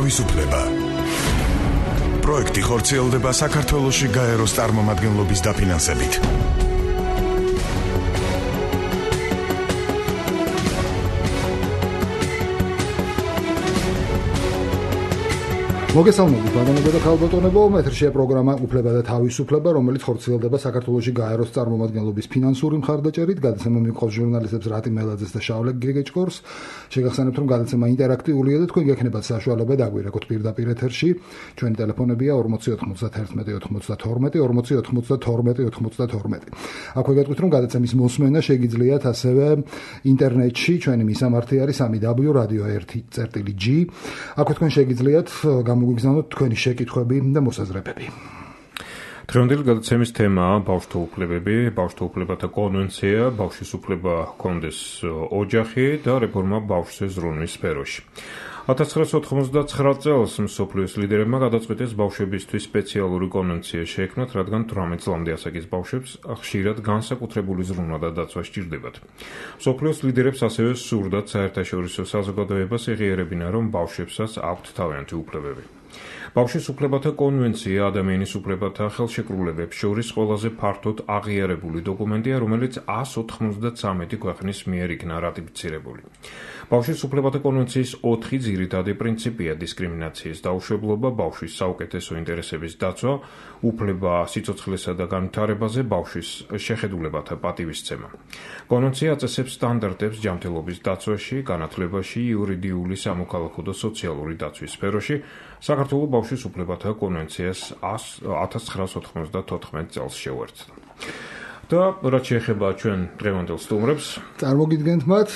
თავისუფლება. პროექტი ხორციელდება საქართველოში გაეროს წარმომადგენლობის დაფინანსებით. მოგესალმებით ბატონებო და ქალბატონებო, ეთერშია პროგრამა უფლება და თავისუფლება, რომელიც ხორციელდება საქართველოში გაეროს წარმომადგენლობის ფინანსური მხარდაჭერით. გადაცემა მიჰყავს ჟურნალისტებს რატი მელაძეს და შავლე გეგეჭკორს. შეგახსენებთ, რომ გადაცემა ინტერაქტიულია და თქვენ გექნებათ საშუალება დაგვირეკოთ პირდაპირ ეთერში. ჩვენი ტელეფონებია 4091 აქვე გეტყვით, რომ გადაცემის მოსმენა შეგიძლიათ ასევე ინტერნეტში. ჩვენი მისამართი არის www.radio1.g. აქვე თქვენ შეგიძლიათ გამოგიგზავნოთ თქვენი შეკითხვები და მოსაზრებები. დღევანდელი გადაცემის თემაა ბავშვთა უფლებები, ბავშვთა უფლებათა კონვენცია, ბავშვის უფლება ჰქონდეს ოჯახი და რეფორმა ბავშვზე ზრუნვის სფეროში. 1999 წელს მსოფლიოს ლიდერებმა გადაწყვიტეს ბავშვებისთვის სპეციალური კონვენცია შეექმნათ, რადგან 18 წლამდე ასაკის ბავშვებს ხშირად განსაკუთრებული ზრუნვა და დაცვა სჭირდებათ. მსოფლიოს ლიდერებს ასევე სურდათ საერთაშორისო საზოგადოებას ეღიარებინა, რომ ბავშვებსაც აქვთ თავიანთი უფლებები. ბავშვის უფლებათა კონვენცია ადამიანის უფლებათა ხელშეკრულებებს შორის ყველაზე ფართოდ აღიარებული დოკუმენტია, რომელიც 193 ქვეყნის მიერ იქნა რატიფიცირებული. ბავშვის უფლებათა კონვენციის 4 ძირითადი პრინციპია: დისკრიმინაციის დაუშვებლობა, ბავშვის საუკეთესო ინტერესების დაცვა, უფლება სიცოცხლესა და განვითარებაზე, ბავშვის შეხედულებათა პატივისცემა. კონვენცია აწესებს სტანდარტებს ჯანმრთელობის დაცვაში, განათლებაში, იურიდიული, სამოქალაქო და სოციალური დაცვის სფეროში. საქართველოს ბავშვის უფლებათა კონვენციას 1994 წელს შეუერთდა. და რაც შეეხება ჩვენ დღევანდელ სტუმრებს, წარმოგიდგენთ მათ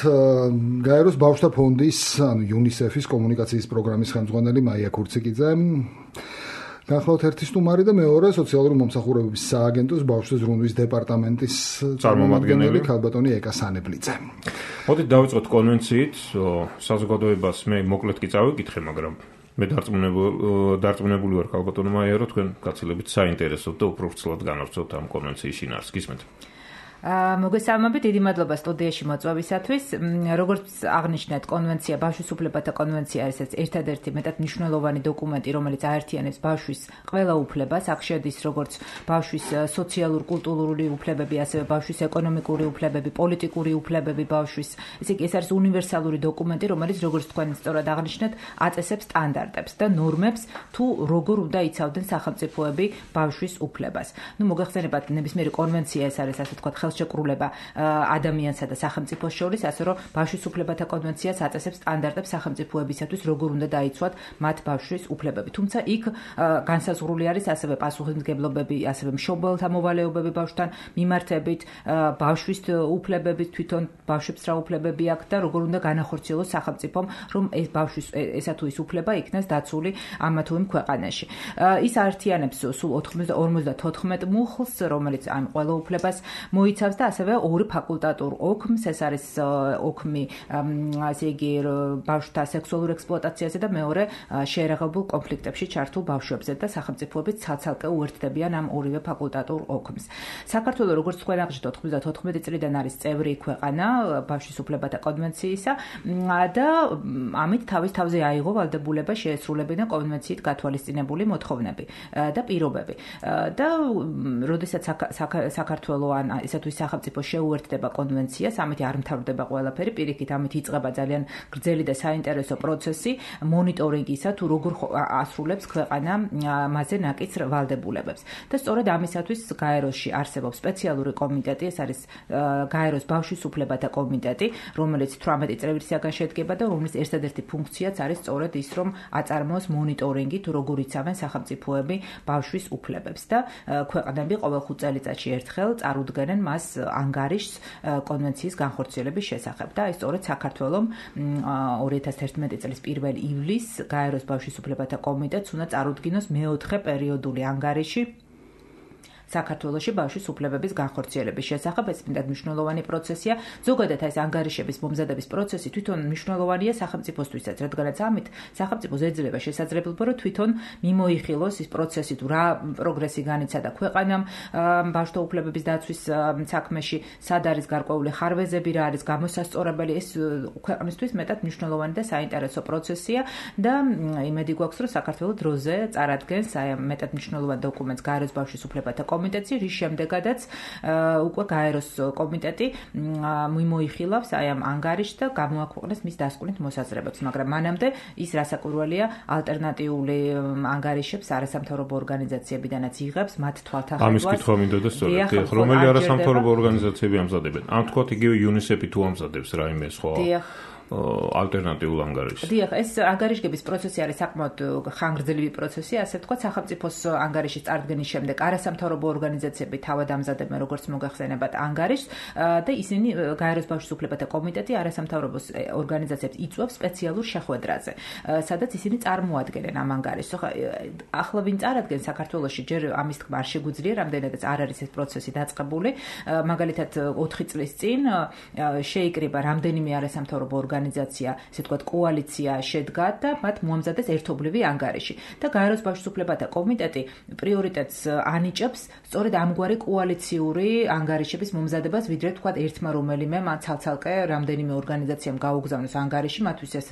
გაეროს ბავშვთა ფონდის, ანუ UNICEF-ის კომუნიკაციის პროგრამის ხელმძღვანელი მაია ქურციკიძე, განხილავთ ერთი სტუმარი და მეორე სოციალური მომსახურებების სააგენტოს ბავშვთა ზრუნვის დეპარტამენტის წარმომადგენელი ქალბატონი ეკა სანებლიძე. მოდით დავიწყოთ კონვენციით. საზოგადოებას მე მოკლედ კი წავიკითხე, მაგრამ მე დარწმუნებული ვარ ქალბატონო მაია, რომ თქვენ გაცილებით საინტერესოდ და უფრო ვრცლად განავრცელოთ ამ კონვენციის შინაარსს. გისმენთ? მოგესალმებით, დიდი მადლობა სტუდიაში მოწვევისათვის. როგორც აღნიშნეთ, კონვენცია, ბავშვის უფლებათა კონვენცია არის ერთადერთი მეტად მნიშვნელოვანი დოკუმენტი, რომელიც აერთიანებს ბავშვის ყველა უფლებას, აქ შედის როგორც ბავშვის სოციალურ-კულტურული უფლებები, ასევე ბავშვის ეკონომიკური უფლებები, პოლიტიკური უფლებები ბავშვის. ესე იგი, ეს არის უნივერსალური დოკუმენტი, რომელიც როგორც თქვენ სწორად აღნიშნეთ, აწესებს სტანდარტებს და ნორმებს, თუ როგორ უნდა იცავდნენ სახელმწიფოები ბავშვის უფლებას. მოგეხსენებათ, ნებისმიერი კონვენცია ეს არის, ასე ვთქვათ, ხელშეკრულება ადამიანსა და სახელმწიფოს შორის, ასე რომ ბავშვის უფლებათა კონვენციას აწესებს სტანდარტებს სახელმწიფოებისათვის, როგორ უნდა დაიცვათ მათ ბავშვის უფლებები. თუმცა იქ განსაზღვრული არის ასევე პასუხისმგებლობები, ასევე მშობელთა მოვალეობები ბავშვთან მიმართებით, ბავშვის უფლებები, თვითონ ბავშვებს რა უფლებები აქვს და როგორ უნდა განახორციელოს სახელმწიფომ, რომ ეს ბავშვის ესა თუ ის უფლება იქნას დაცული ამა თუ იმ ქვეყანაში. ის აერთიანებს სულ 54 მუხლს, რომელიც ამ ყველა უფლებას მოიცავს და ასევე ორი ფაკულტატურ ოქმს, ეს არის ოქმი, ასე იგი, ბავშვთა სექსუალურ ექსპლუატაციაზე და მეორე შეერაღებულ კონფლიქტებში ჩართულ ბავშვებზე და სახელმწიფოებიც ცალ-ცალკე უერთდებიან ამ ორივე ფაკულტატურ ოქმს. საქართველოს, როგორც თქვენ აღნიშნეთ, 94 წლიდან არის წევრი ქვეყანა ბავშვის უფლებათა კონვენციისა და ამით თავის თავზე აიღო ვალდებულება შეესრულებინა კონვენციით გათვალისწინებული მოთხოვნები და პირობები. და როდესაც საქართველოს ან ისე თუ სახელმწიფო შეუერთდება კონვენციას, ამით არ მთავრდება ყველაფერი, პირიქით ამით იწყება ძალიან გრძელი და საინტერესო პროცესი მონიტორინგისა, თუ როგორ ასრულებს ქვეყანა მასზე ნაკიც ვალდებულებებს. და სწორედ ამისათვის გაეროში არსებობს სპეციალური კომიტეტი, ეს არის გაეროს ბავშვის უფლებათა კომიტეტი, რომელიც 18 წევრისაგან შედგება და რომლის ერთადერთი ფუნქციაც არის სწორედ ის, რომ აწარმოოს მონიტორინგი, თუ როგორ იცავენ სახელმწიფოები ბავშვის უფლებებს და ქვეყნები ყოველ 5 წელიწადში ერთხელ წარუდგენენ მას ანგარიშს კონვენციის განხორციელების შესახებ და ეს სწორედ საქართველოს 2011 წლის 1 ივლისს გაეროს ბავშვის უფლებათა კომიტეტს უნდა წარუდგინოს მეოთხე პერიოდული ანგარიში საქართველოში ბავშვის უფლებების განხორციელების შესახებ. ეს მეტად მნიშვნელოვანი პროცესია. ზოგადად ეს ანგარიშების მომზადების პროცესი თვითონ მნიშვნელოვანია სახელმწიფოსთვისაც, რადგანაც ამით სახელმწიფოს ეძლევა შესაძლებლობა, რომ თვითონ მიმოიხილოს ის პროცესი, თუ რა პროგრესი განიცადა ქვეყანამ ბავშვთა უფლებების დაცვის საქმეში, სად არის გარკვეული ხარვეზები, რა არის გამოსასწორებელი. ეს ქვეყნისთვის მეტად მნიშვნელოვანი და საინტერესო პროცესია და იმედი გვაქვს, რომ საქართველოს დროზე წარადგენს აი ამ მეტად მნიშვნელოვან დოკუმენტს გაეროს ბავშვის უფლებათა კომიტეტი, რის შემდეგაც უკვე გაეროს კომიტეტი მიმოიხილავს აი ამ ანგარიშს და გამოაქვეყნებს მის დასკვნით მოსაზრებებს, მაგრამ მანამდე ის რასაკვირველია ალტერნატიული ანგარიშებს არასამთავრობო ორგანიზაციებიდანაც იღებს მათ თვალთახედვას. ამის კითხვა მინდოდა სწორედ, რომელი არასამთავრობო ორგანიზაციები ამზადებენ? ამ თქვა იგივე UNICEF-ი თუ ამზადებს რაიმე სხვა ალტერნატიულ ანგარიშს. დიახ, ეს ანგარიშების პროცესი არის საკმაოდ ხანგრძლივი პროცესი, ასე ვთქვათ, სახელმწიფოს ანგარიშის წარდგენის შემდეგ არასამთავრობო ორგანიზაციები თავად ამზადებენ, როგორც მოგახსენებათ, ანგარიშს და ისინი გაეროს ბავშვის უფლებათა კომიტეტი არასამთავრობო ორგანიზაციებს იწვევს სპეციალურ შეხვედრაზე, სადაც ისინი წარმოადგენენ ამ ანგარიშს. ახლა ვინ წარადგენს საქართველოში, ჯერ ამის თქმა არ შეგვიძლია, რამდენადაც არ არის ეს პროცესი დაწყებული. მაგალითად, 4 წლის წინ შეიკრიბა რამდენიმე არასამთავრობო ორგანიზაცია, ესე ვთქვათ, კოალიცია შედგა და მათ მოამზადეს ერთობლივი ანგარიში. და გაეროს ბავშვის უფლებათა კომიტეტი პრიორიტეტს ანიჭებს სწორედ ამგვარი კოალიციური ანგარიშების მომზადებას, ვიდრე თქვათ ერთმა რომელიმე ცალ-ცალკე რამდენიმე ორგანიზაციამ გაუგზავნოს ანგარიში, მათთვის ეს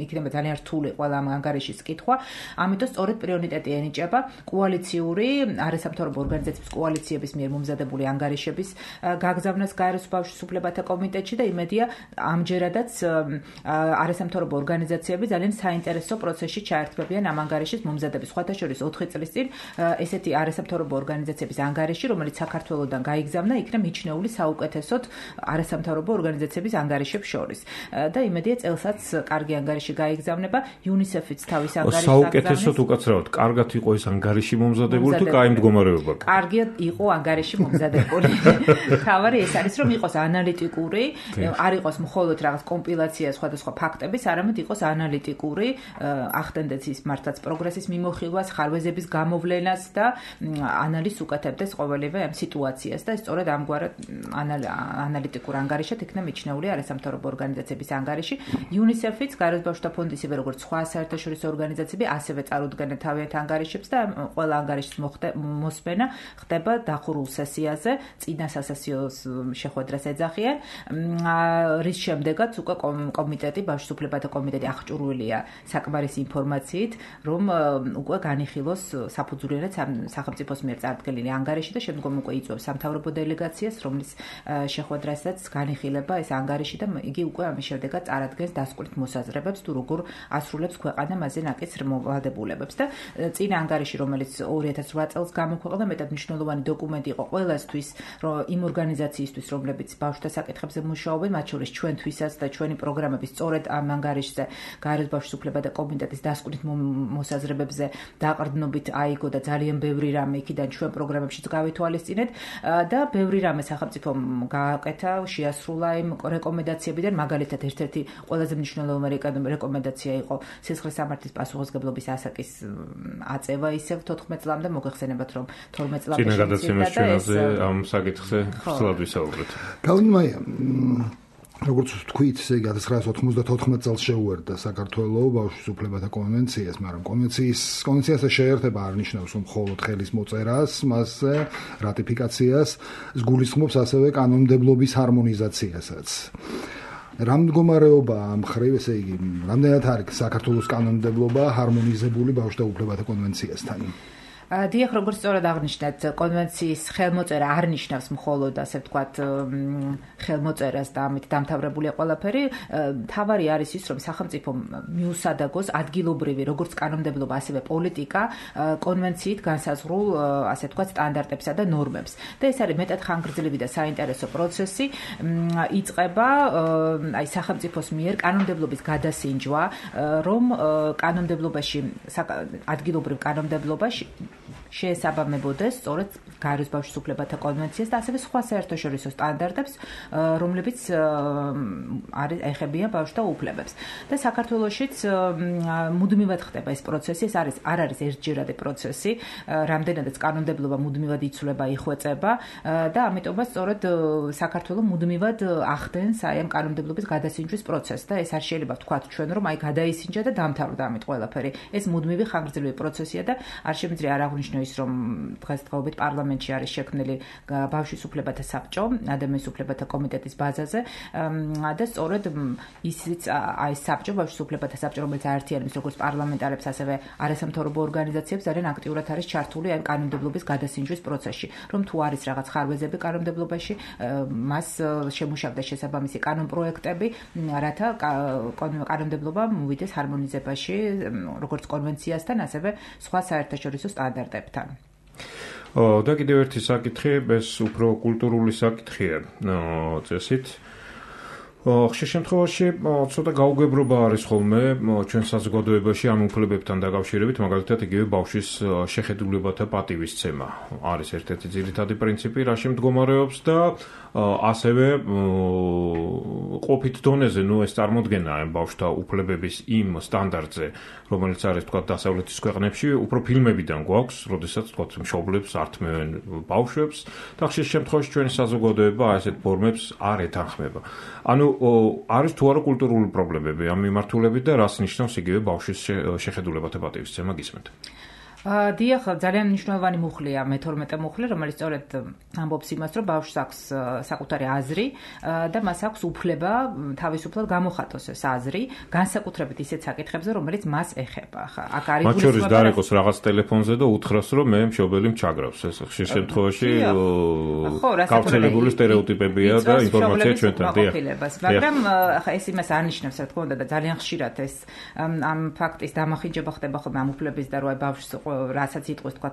იქნება ძალიან რთული ყველა ამ ანგარიშის კითხვა. ამიტომ სწორედ პრიორიტეტი ენიჭება კოალიციური არასამთავრობო ორგანიზაციების კოალიციების მიერ მომზადებული ანგარიშების გაგზავნას გაეროს ბავშვის უფლებათა კომიტეტში და იმედია ამჯერადაც არასამთავრობო ორგანიზაციები ძალიან საინტერესო პროცესში ჩაერთვებიან ამ ანგარიშის მომზადების. სხვათა შორის 4 წლის წინ ესეთი არასამთავრობო ორგანიზაციების ანგარიში, რომელიც საქართველოსდან გაიგზავნა, იქნა მიჩნეული საუკეთესოდ არასამთავრობო ორგანიზაციების ანგარიშებს შორის. და იმედია წელსაც კარგი ანგარიში გაიგზავნება. UNICEF-იც თავის ანგარიშს საუკეთესოდ უკაცრავად, კარგად იყო ეს ანგარიში მომზადებული თუ კაი მდგომარეობა? კარგად იყო ანგარიში მომზადებული. თავარი ეს არის, რომ იყოს ანალიტიკური, არ იყოს მხოლოდ რაღაც კომპილაცია სხვადასხვა ფაქტების, არამედ იყოს ანალიტიკური, ახდენდეს ის მართლაც პროგრესის მიმოხილვას, ხარვეზების გამოვლენას და ანალიზს უკეთებდეს ყოველივე ამ სიტუაციას და სწორედ ამგვარ ანალიტიკურ ანგარიშად იქნა მიჩნეული არასამთავრობო ორგანიზაციების ანგარიში. UNICEF-იც, გაეროს ბავშვთა ფონდი, ისევე როგორც სხვა საერთაშორისო ორგანიზაციები, ასევე წარუდგენენ თავიანთ ანგარიშებს და ყველა ანგარიშის მოსმენა ხდება დახურულ სესიაზე, წინა სასესიო შეხვედრას ეძახიან, რის შემდეგაც უკვე კომიტეტი, ბავშვის უფლებათა კომიტეტი აღჭურვილია საკმარისი ინფორმაციით, რომ უკვე განიხილოს საფუძვლიანად სახელმწიფოს მიერ წარდგენილი ანგარიში და შემდგომ უკვე იწვევს სამთავრობო დელეგაციას, რომლის შეხვედრასაც განიხილება ეს ანგარიში და იგი უკვე ამის შემდეგაც წარადგენს დასკვნით მოსაზრებებს, თუ როგორ ასრულებს ქვეყანა მასზე ნაკისრ მოვალდებულებებს და წინა ანგარიში, რომელიც 2008 წელს გამოქვეყნდა, მეტად მნიშვნელოვანი დოკუმენტი იყო ყველასთვის, იმ ორგანიზაციისთვის, რომლებიც ბავშვთა საკითხებზე მუშაობენ, მათ შორის ჩვენთვისაც და ჩვენი პროგრამები სწორედ ამ ანგარიშზე, გაეროს ბავშვის უფლებათა კომიტეტის დასკვნით მოსაზრებებზე დაყრდნობით აიგო და ძალიან ბევრი რამე იქიდან ჩვენ პროგრამებშიც გავითვალისწინეთ და ბევრი რამე სახელმწიფომ გააკეთა, შეასრულა იმ რეკომენდაციებიდან, მაგალითად ერთ-ერთი ყველაზე მნიშვნელოვანი რეკომენდაცია იყო სისხლის სამართლის პასუხისმგებლობის ასაკის აწევა ისევ 14 წლამდე, მოგეხსენებათ რომ 12 წლამდე წინა გადაცემის ჩვენაზე ამ საკითხზე ხსლად ვისაუბრეთ. გავლინმაია როგორც თქვით, ესე იგი 1994 წელს შეუერთდა საქართველოს ბავშვის უფლებათა კონვენციას, მაგრამ კონვენციას შეერთება არ ნიშნავს მხოლოდ ხელის მოწერას, მასზე რატიფიკაციას, გულისხმობს ასევე კანონმდებლობის ჰარმონიზაციასაც. რა მდგომარეობა ამ ხრივ, ესე იგი, რამდენად არის საქართველოს კანონმდებლობა ჰარმონიზებული ბავშვთა უფლებათა კონვენციასთან? დიახ, როგორც სწორად აღნიშნეთ, კონვენციის ხელმოწერა არ ნიშნავს მხოლოდ, ასე ვთქვათ, ხელმოწერას და ამით დამთავრებულია ყველაფერი. თავარი არის ის, რომ სახელმწიფო მიუსადაგოს ადგილობრივი, როგორც კანონმდებლობა, ასევე პოლიტიკა კონვენციით განსაზღვრულ, ასე ვთქვათ, სტანდარტებსა და ნორმებს. და ეს არის მეტად ხანგრძლივი და საინტერესო პროცესი. იწყება აი სახელმწიფოს მიერ კანონმდებლობის გადასინჯვა, რომ კანონმდებლობაში, ადგილობრივ კანონმდებლობაში შეესაბამებოდეს სწორედ გაეროს ბავშვის უფლებათა კონვენციას და ასევე სხვა საერთაშორისო სტანდარტებს, რომლებიც ეხებიან ბავშვთა უფლებებს. და საქართველოშიც მუდმივად ხდება ეს პროცესი, ეს არ არის ერთჯერადი პროცესი, რამდენადაც კანონმდებლობა მუდმივად იცვლება, იხვეწება და ამიტომაც სწორედ საქართველო მუდმივად ახდენს აი ამ კანონმდებლობის გადასინჯვის პროცესს და ეს არ შეიძლება ვთქვათ ჩვენ რომ აი გადაისინჯა და დამთავრდა ამით ყველაფერი. ეს მუდმივი ხანგრძლივი პროცესია და არ შემიძლია არ აღვნიშნო ის რომ დღესდღეობით პარლამენტში არის შექმნილი ბავშვის უფლებათა საბჭო, ადამიანის უფლებათა კომიტეტის ბაზაზე და სწორედ ისიც აი საბჭო, ბავშვის უფლებათა საბჭო, რომელიც აერთიანებს როგორც პარლამენტარებს, ასევე არასამთავრობო ორგანიზაციებს, ძალიან აქტიურად არის ჩართული აი კანონმდებლობის გადასინჯვის პროცესში, რომ თუ არის რაღაც ხარვეზები კანონმდებლობაში, მას შემუშავდეს შესაბამისი კანონპროექტები, რათა კანონმდებლობა მოვიდეს ჰარმონიზებაში, როგორც კონვენციასთან, ასევე სხვა საერთაშორისო სტანდარტებთან. და კიდევ ერთი საკითხი, ეს უფრო კულტურული საკითხია წესით. ხშირ შემთხვევაში ცოტა გაუგებრობა არის ხოლმე ჩვენ საზოგადოებაში ამ უფლებებთან დაკავშირებით, მაგალითად იგივე ბავშვის შეხედულებათა პატივისცემა არის ერთ-ერთი ძირითადი პრინციპი, რაში მდგომარეობს და ასევე ყოფით დონეზე, ეს წარმოდგენა ბავშვთა უფლებების იმ სტანდარტზე, რომელიც არის თქვა დასავლეთის ქვეყნებში, უფრო ფილმებიდან გვაქვს, როდესაც თქვა მშობლებს ართმევენ ბავშვებს და ხშირ შემთხვევაში ჩვენი საზოგადოება ასეთ ფორმებს არ ეთანხმება. ანუ არის თუ არა კულტურული პრობლემები ამ მიმართულებით და რას ნიშნავს იგივე ბავშვის შეხედულებათა პატივისცემა გისმენთ? დიახ, ძალიან მნიშვნელოვანი მუხლია მე-12 მუხლი, რომელიც სწორედ ამბობს იმას, რომ ბავშვს აქვს საკუთარი აზრი და მას აქვს უფლება თავისუფლად გამოხატოს ეს აზრი, განსაკუთრებით ისეთ საკითხებზე, რომელიც მას ეხება. აქ არის მათ შორის გარეკოს რაღაც ტელეფონზე და უთხრას, რომ მე მშობელი მჩაგრავს. ეს ხშირ შემთხვევაში გავრცელებული სტერეოტიპებია და ინფორმაცია ჩვენთან. მაგრამ ახლა ეს იმას არ ნიშნავს, რა თქმა უნდა, და ძალიან ხშირად ეს ამ ფაქტის დამახინჯება ხდება ხოლმე ამ უფლების და რა ბავშვს რასაც იტყვის თქვა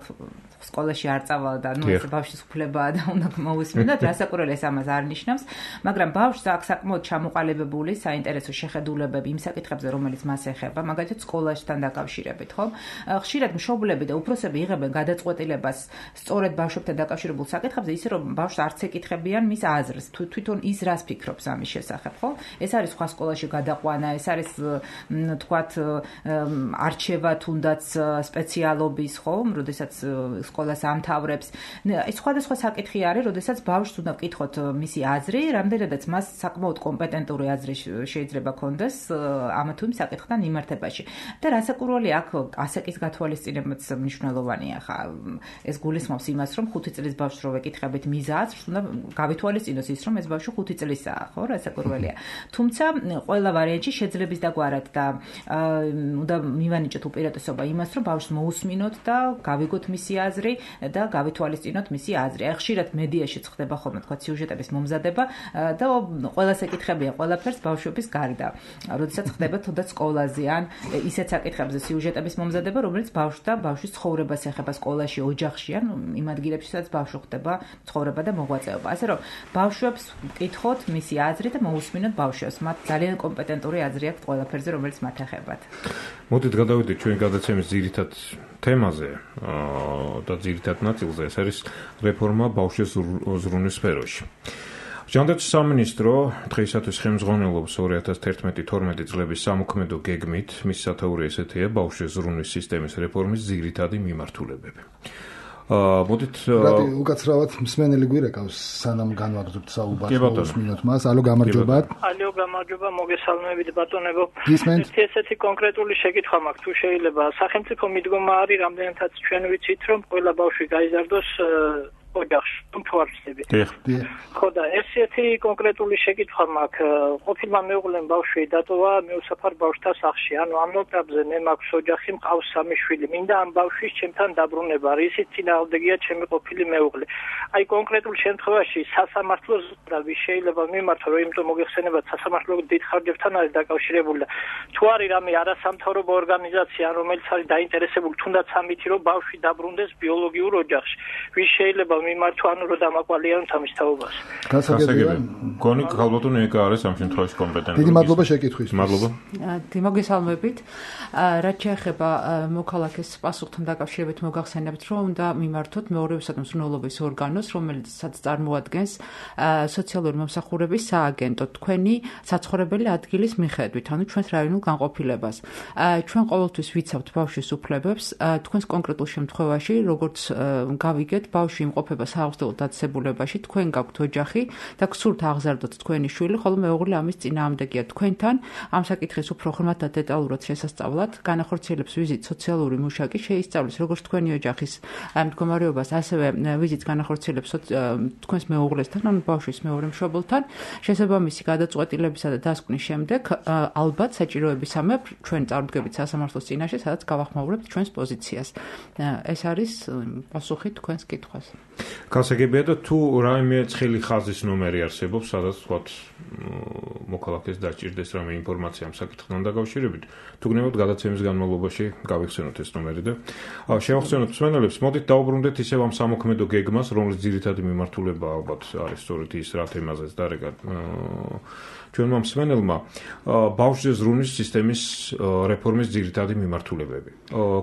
სკოლაში არ წავალ და ეს ბავშვის უფლებაა და უნდა მოусმინოთ, რასაკვირველია ეს ამას არ ნიშნავს, მაგრამ ბავშვს აქვს საკმაოდ ჩამოყალიბებული საინტერესო შეხედულებები იმ საკითხებზე, რომელიც მას ეხება, მაგალითად სკოლასთან დაკავშირებით, ხო? ხშირად მშობლები და უფროსები იღებენ გადაწყვეტილებას სწორედ ბავშვებთან დაკავშირებულ საკითხებზე, ისე რომ ბავშვს არც ეკითხებიან მის აზრს, თვითონ ის რას ფიქრობს ამის შესახებ, ხო? ეს არის სხვა სკოლაში გადაყვანა, ეს არის თქვათ არჩევა თუნდაც სპეციალ ხო, როდესაც სკოლას ამთავრებს. ეს სხვადასხვა საკითხი არის, როდესაც ბავშვს უნდა ვკითხოთ მისი აზრი, რამდენადაც მას საკმაოდ კომპეტენტური აზრი შეიძლება ქონდეს ამ თუ იმ საკითხთან მიმართებაში. და რასაკვირველია, აქ ასაკის გათვალისწინებაც მნიშვნელოვანია. ხა ეს გულისხმობს იმას, რომ 5 წლის ბავშვს რო ვეკითხებით მის აზრს, უნდა გავითვალისწინოს ის, რომ ეს ბავშვი 5 წლისაა, ხო, რასაკვირველია. თუმცა ყველა ვარიანტში შეძლებს დაგვარად და უნდა მივანიჭოთ უპირატესობა იმას, რომ ბავშვს მოусმინოთ და გავიგოთ მისი აზრი და გავითვალისწინოთ მისი აზრი. აი ხშირად მედიაში ხდება ხოლმე თქვა სიუჟეტების მომზადება და ყველას ეკითხებიან ყველაფერს ბავშვების გარდა. როდესაც ხდება თუნდაც სკოლაზე ან ისეთ საკითხებზე სიუჟეტების მომზადება, რომელიც ბავშვს და ბავშვის ცხოვრებას ეხება სკოლაში, ოჯახში ან იმ ადგილებში, სადაც ბავშვი ხდება ცხოვრება და მოღვაწეობა. ასე რომ ბავშვებს ვკითხოთ მისი აზრი და მოусმინოთ ბავშვებს. მათ ძალიან კომპეტენტური აზრი აქვთ ყველაფერზე, რომელიც მათ ეხებათ. მოდით გადავიდეთ ჩვენი გადაცემის ძირითად თემაზე და ძირითად ნაწილზე, ეს არის რეფორმა ბავშვის ზრუნვის სფეროში. ჟანდაცვის სამინისტრო დღეისათვის ხელმძღვანელობს 2011-12 წლების სამოქმედო გეგმით, მის სათაური ესეთია ბავშვის ზრუნვის სისტემის რეფორმის ძირითადი მიმართულებები. მოდით უკაცრავად მსმენელი გვირეკავს სანამ განვაგრძობთ საუბარს მინუთ მას. ალო გამარჯობა. ალო გამარჯობა, მოგესალმებით ბატონებო. ისმენთ ესეთი კონკრეტული შეკითხვა მაქვს, თუ შეიძლება. სახელმწიფო მიდგომა არის, რამდენადაც ჩვენ ვიცით, რომ ყველა ბავშვი გაიზარდოს ოჯახში, თუმცა ხო და ესეთი კონკრეტული შეკითხვა მაქვს. ყოფილმა მეუღლემ ბავშვი დატოვა მეუსაფარ ბავშვთა სახლში. ანუ ამ ნოტაბზე მე მაქვს ოჯახი, მყავს 3 შვილი. მინდა ამ ბავშვის ჩემთან დაბრუნება, რისიც წინააღმდეგია ჩემი ყოფილი მეუღლე. აი კონკრეტულ შემთხვევაში სასამართლოს და ვის შეიძლება მიმართო, რომ იმიტომ მოგეხსენებათ სასამართლო დიდ ხარჯებთან არის დაკავშირებული და თუ არის რამე არასამთავრობო ორგანიზაცია, რომელიც არის დაინტერესებული თუნდაც ამით, რომ ბავშვი დაბრუნდეს ბიოლოგიურ ოჯახში. ვის შეიძლება მიმართვა, ანუ რომ დამაკვალიან თამის თაობას. გასაგებია. გონი ქალბატონი ეკა არის ამ შემთხვევაში კომპეტენტური. დიდი მადლობა შეკითხვის. მადლობა. მოგესალმებით. რაც შეეხება მოქალაქეს პასუხთან დაკავშირებით მოგახსენებთ, რომ უნდა მიმართოთ მეორეულსა მზრუნველობის ორგანოს, რომელიც წარმოადგენს სოციალური მომსახურების სააგენტო თქვენი საცხოვრებელი ადგილის მიხედვით, ანუ ჩვენს რაიონულ განყოფილებას. ჩვენ ყოველთვის ვიცავთ ბავშვის უფლებებს, თქვენს კონკრეტულ შემთხვევაში, როგორც გავიგეთ, ბავშვი იმყოფება საავადმყოფო დაწესებულებაში, თქვენ გაქვთ ოჯახი და გსურთ აღზარდოთ თქვენი შვილი, ხოლო მეუღლე ამის წინააღმდეგია თქვენთან. ამ საკითხის უფრო ხმად და დეტალურად შესასწავლად განახორციელებს ვიზიტ სოციალური მუშაკი, შეისწავლის როგორც თქვენი ოჯახის მდგომარეობას, ასევე ვიზიტს განახორციელებს თქვენს მეუღლესთან, ანუ ბავშვის მეორე მშობელთან. შესაბამისი გადაწყვეტილებისა და დასკვნის შემდეგ ალბათ საჭიროებისამებრ ჩვენ წარდგებით სასამართლოს წინაშე, სადაც გავახმაურებთ ჩვენს პოზიციას. ეს არის პასუხი თქვენს კითხვას. გასაგებია და თუ რაიმე ცხელი ხაზის ნომერი არსებობს, სადაც ვთქვათ მოქალაქეს დაჭირდეს რამე ინფორმაცია ამ საკითხთან დაკავშირებით, თუ გნებავთ გადაცემის განმავლობაში გავიხსენოთ ეს ნომერი და შევახსენოთ მსმენელებს, მოდით დაუბრუნდეთ ისევ ამ სამოქმედო გეგმას, რომლის ძირითადი მიმართულება ალბათ არის სწორედ ის, რა თემაზეც დარეკა ჩვენმა მსმენელმა, ბავშვზე ზრუნვის სისტემის რეფორმის ძირითადი მიმართულებები.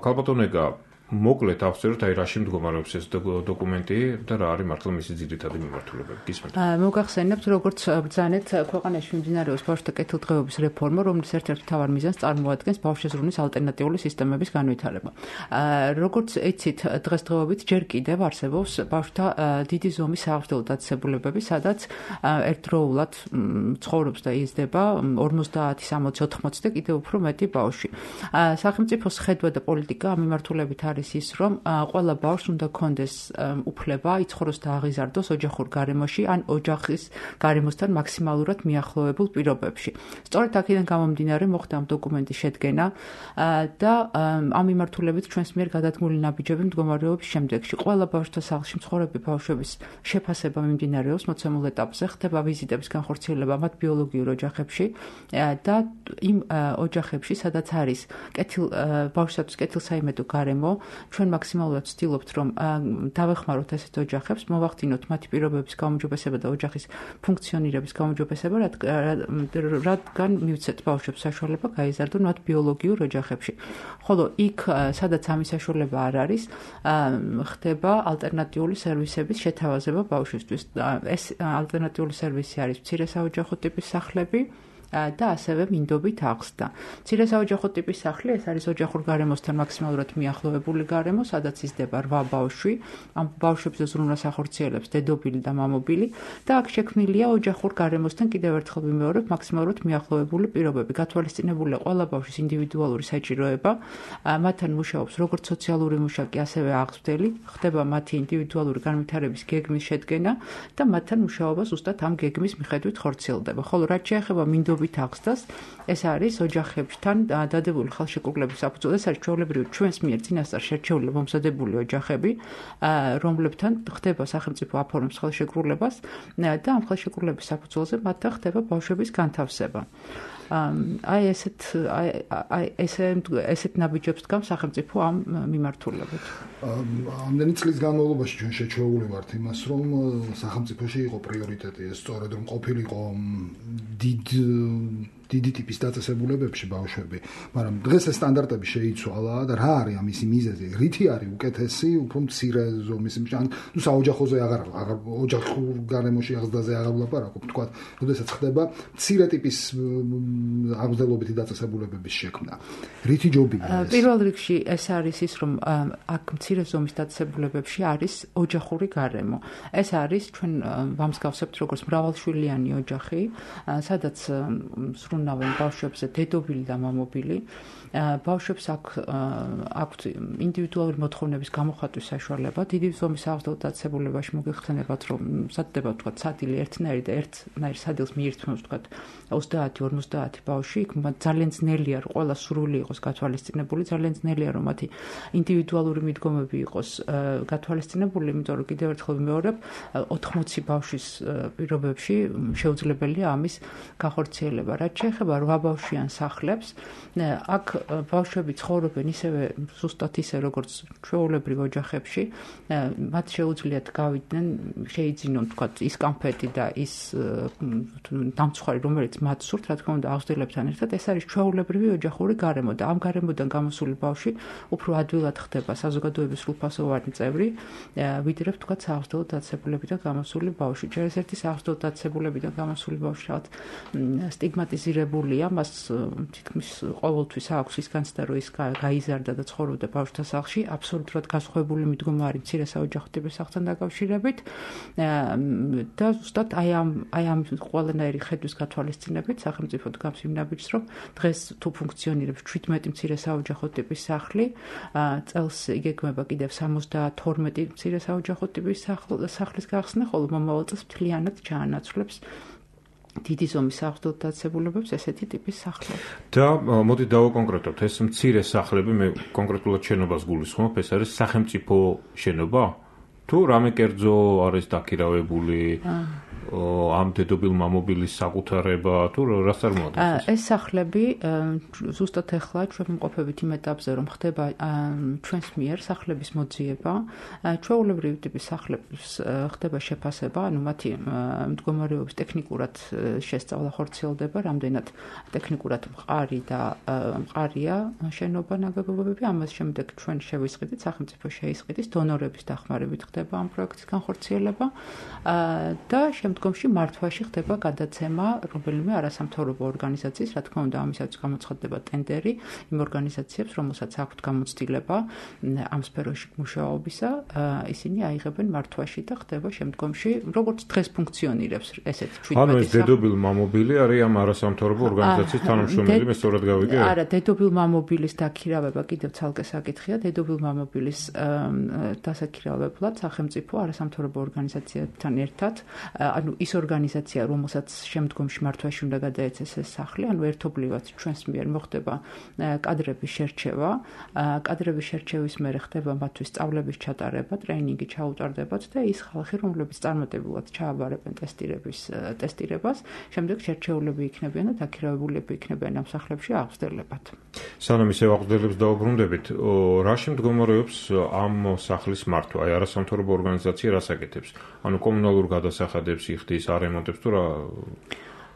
ქალბატონო ეკა, მოკლედ ავწეროთ, აი რაში მდგომარეობს ეს დოკუმენტი და რა არის მართლა მისი ძირითადი მიმართულებები. გისმენთ. მოგახსენებთ, როგორც ბრძანეთ, ქვეყანაში მიმდინარეობს ბავშვთა კეთილდღეობის რეფორმა, რომლის ერთ-ერთ მთავარ მიზანს წარმოადგენს ბავშვზე ზრუნვის ალტერნატიული სისტემების განვითარება. როგორც იცით, დღესდღეობით ჯერ კიდევ არსებობს ბავშვთა დიდი ზომის საავადმყოფო დაწესებულებები, სადაც ერთდროულად ცხოვრობს და იზრდება 50, 60, 80 და კიდევ უფრო მეტი ბავშვი. სახელმწიფოს ხედვა და პოლიტიკა ამ მიმართულებით არის ის, რომ ყველა ბავშვს უნდა ჰქონდეს უფლება იცხოვროს და აღიზარდოს ოჯახურ გარემოში ან ოჯახის გარემოსთან მაქსიმალურად მიახლოებულ პირობებში. სწორედ აქედან გამომდინარე მოხდა ამ დოკუმენტის შედგენა და ამ მიმართულებით ჩვენს მიერ გადადგმული ნაბიჯები მდგომარეობის შემდეგში. ყველა ბავშვთა სახლში მცხოვრები ბავშვების შეფასება მიმდინარეობს მოცემულ ეტაპზე, ხდება ვიზიტების განხორციელება მათ ბიოლოგიურ ოჯახებში და იმ ოჯახებში, სადაც არის ბავშვისათვის კეთილსაიმედო გარემო, ჩვენ მაქსიმალურად ვცდილობთ, რომ დავეხმაროთ ესეთ ოჯახებს, მოვახდინოთ მათი პირობების გაუმჯობესება და ოჯახის ფუნქციონირების გაუმჯობესება, რადგან მივცეთ ბავშვებს საშუალება გაიზარდონ მათ ბიოლოგიურ ოჯახებში. ხოლო იქ, სადაც ამის საშუალება არ არის, ხდება ალტერნატიული სერვისების შეთავაზება ბავშვისთვის. ეს ალტერნატიული სერვისი არის მცირე საოჯახო ტიპის სახლები და ასევე მინდობით აღზრდა. მცირე საოჯახო ტიპის სახლი, ეს არის ოჯახურ გარემოსთან მაქსიმალურად მიახლოებული გარემო, სადაც იზრდება 8 ბავშვი. ამ ბავშვებზე ზრუნვას ახორციელებს დედობილი და მამობილი და აქ შექმნილია ოჯახურ გარემოსთან კიდევ ერთხელ ვიმეორებ მაქსიმალურად მიახლოებული პირობები. გათვალისწინებულია ყველა ბავშვის ინდივიდუალური საჭიროება, მათთან მუშაობს როგორც სოციალური მუშაკი, ასევე აღზრდელი, ხდება მათი ინდივიდუალური განვითარების გეგმის შედგენა და მათთან მუშაობა ზუსტად ამ გეგმის მიხედვით ხორციელდება. ხოლო რაც შეეხება მინდობით აღზრდას, ეს არის ოჯახებთან დადებული ხალხშეკრულების საფუძველზე, ეს არის ჩვეულებრივი ჩვენს მიერ წინასწარ შერჩეული მომზადებული ოჯახები, რომლებთან ხდება სახელმწიფო აფორმებს ხალხშეკრულებას და ამ ხალხშეკრულების საფუძველზე მათთან ხდება ბავშვების განთავსება. ესეთ ნაბიჯებს დგამს სახელმწიფო ამ მიმართულებით. ამდენი წლის განმავლობაში ჩვენ შეჩვეული ვართ იმას, რომ სახელმწიფოში იყო პრიორიტეტი ეს, სწორედ რომ ყოფილიყო დიდი ტიპის დაწესებულებებში ბავშვები, მაგრამ დღეს ეს სტანდარტები შეიცვალა და რა არის ამისი მიზეზი? რითი არის უკეთესი, უფრო მცირე ზომის, ან საოჯახოზე ოჯახურ გარემოში აღზრდაზე აღარ ვლაპარაკობ, თქვა, როდესაც ხდება მცირე ტიპის აღზრდელობითი დაწესებულებების შექმნა. რითი ჯობია ეს? პირველ რიგში ეს არის ის, რომ აქ მცირე ზომის დაწესებულებებში არის ოჯახური გარემო. ეს არის ჩვენ ვამსგავსებთ როგორც მრავალშვილიანი ოჯახი, სადაც ზრუნავენ ბავშვებზე დედობილი და მამობილი. ბავშვებს აქვთ ინდივიდუალური მოთხოვნების გამოხატვის საშუალება. დიდი ზომის აღზრდელ დაწესებულებაში მოგეხსენებათ, რომ სათდება თქვა სადილე ერთნაირი და ერთნაირ სადილს მიირთმევს თქვა 30-50 ბავშვი, იქ ძალიან ძნელია რომ ყველა სრული იყოს გათვალისწინებული, ძალიან ძნელია რომ მათი ინდივიდუალური მიდგომები იყოს გათვალისწინებული, იმიტომ რომ კიდევ ერთხელ ვიმეორებ, 80 ბავშვის პირობებში შეუძლებელია ამის განხორციელება. რაც შეეხება 8 ბავშვიან სახლებს, აქ ბავშვები ცხოვრობენ ისევე ზუსტად ისე როგორც ჩვეულებრივ ოჯახებში, მათ შეუძლიათ გავიდნენ, შეიძინონ თქვათ ის კამფეტი და ის დამცხვარი, რომელიც მათ სურთ, რა თქმა უნდა, აღზრდილებთან ერთად, ეს არის ჩვეულებრივი ოჯახური გარემო და ამ გარემოდან გამოსული ბავშვი უფრო ადვილად ხდება საზოგადოების სრულფასოვანი წევრი, ვიდრე თქვათ საავზრდელო დაწესებულებიდან გამოსული ბავშვი. ჯერ ეს ერთი საავზრდელო დაწესებულებიდან გამოსული ბავშვი რაღაც სტიგმატიზირებულია, მას თითქმის ყოველთვის აქვს ის განცდა, რომ ის გაიზარდა და ცხოვრობდა ბავშვთა სახლში, აბსოლუტურად განსხვავებული მიდგომა არის მცირე საოჯახო ტიპის სახლთან დაკავშირებით და ზუსტად აი ამ ყველანაირი ხედვის გათვალისწინებით სახელმწიფო დგამს იმ ნაბიჯს, რომ დღეს თუ ფუნქციონირებს 17 მცირე საოჯახო ტიპის სახლი, წელს იგეგმება კიდევ 72 მცირე საოჯახო ტიპის სახლის გახსნა, ხოლო მომავალ წელს მთლიანად ჩაანაცვლებს დიდი ზომის საავზრდელო დაწესებულებებს ესეთი ტიპის სახლები. და მოდი დავაკონკრეტოთ, ეს მცირე სახლები, მე კონკრეტულად შენობას გულისხმობ, ეს არის სახელმწიფო შენობა? თუ რამე კერძო არის დაქირავებული ამ დედობილ მამობილის საკუთრება, თუ რას წარმოადგენს? ეს სახლები ზუსტად ახლა ჩვენ ვიმყოფებით იმ ეტაპზე, რომ ხდება ჩვენს მიერ სახლების მოძიება, ჩვეულებრივი ტიპის სახლების ხდება შეფასება, ანუ მათი მდგომარეობის ტექნიკურად შესწავლა ხორციელდება, რამდენად ტექნიკურად მყარი და მყარია შენობა ნაგებობები, ამას შემდეგ ჩვენ შევისყიდით, სახელმწიფო შეისყიდის, დონორების დახმარებით ხდება ამ პროექტის განხორციელება და შემდგომში მართვაში ხდება გადაცემა რომელიმე არასამთავრობო ორგანიზაციის, რა თქმა უნდა, ამისაც გამოცხადდება ტენდერი იმ ორგანიზაციებს, რომელსაც აქვთ გამოცდილება ამ სფეროში მუშაობისა, ისინი აიღებენ მართვაში და ხდება შემდგომში, როგორც დღეს ფუნქციონირებს ესეთ 17 ანუ ეს დედობილ მამობილი არის ამ არასამთავრობო ორგანიზაციის თანამშრომელი, მე სწორად გავიგე? არა, დედობილ მამობილის დაქირავება კიდევ ცალკე საკითხია, დედობილ მამობილის დასაქირავებლად სახელმწიფო არასამთავრობო ორგანიზაციებთან ერთად, ანუ ის ორგანიზაცია, რომელსაც შემდგომში მართვაში უნდა გადაეცეს ეს სახლი, ანუ ერთობლივად ჩვენს მიერ მოხდება კადრების შერჩევა, კადრების შერჩევის მერე ხდება მათთვის სწავლების ჩატარება, ტრეინინგი ჩაუტარდებათ და ის ხალხი, რომლებიც წარმატებულად ჩააბარებენ ტესტირებას, შემდეგ შერჩეულები იქნებიან და დაქირავებულები იქნებიან ამ სახლებში აღზრდებათ. სანამ ისევ აღზრდელებს დავუბრუნდებით, რა შემდგომარეობს ამ სახლის მართვა? აი არასამთავრობო ორგანიზაცია რას აკეთებს? ანუ კომუნალურ გადასახადებს იხდის, არემონტებს თუ რა?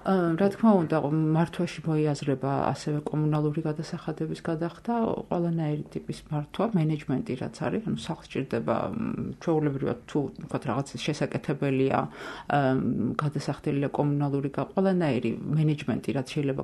რა თქმა უნდა, მართვაში მოიაზრება ასევე კომუნალური გადასახადების გადახდა, ყველანაირი ტიპის მართვა, მენეჯმენტი რაც არის, ანუ სახლს სჭირდება ჩვეულებრივად თუ ვთქვათ რაღაც შესაკეთებელია, გადასახდელია კომუნალური ყველანაირი მენეჯმენტი, რაც შეიძლება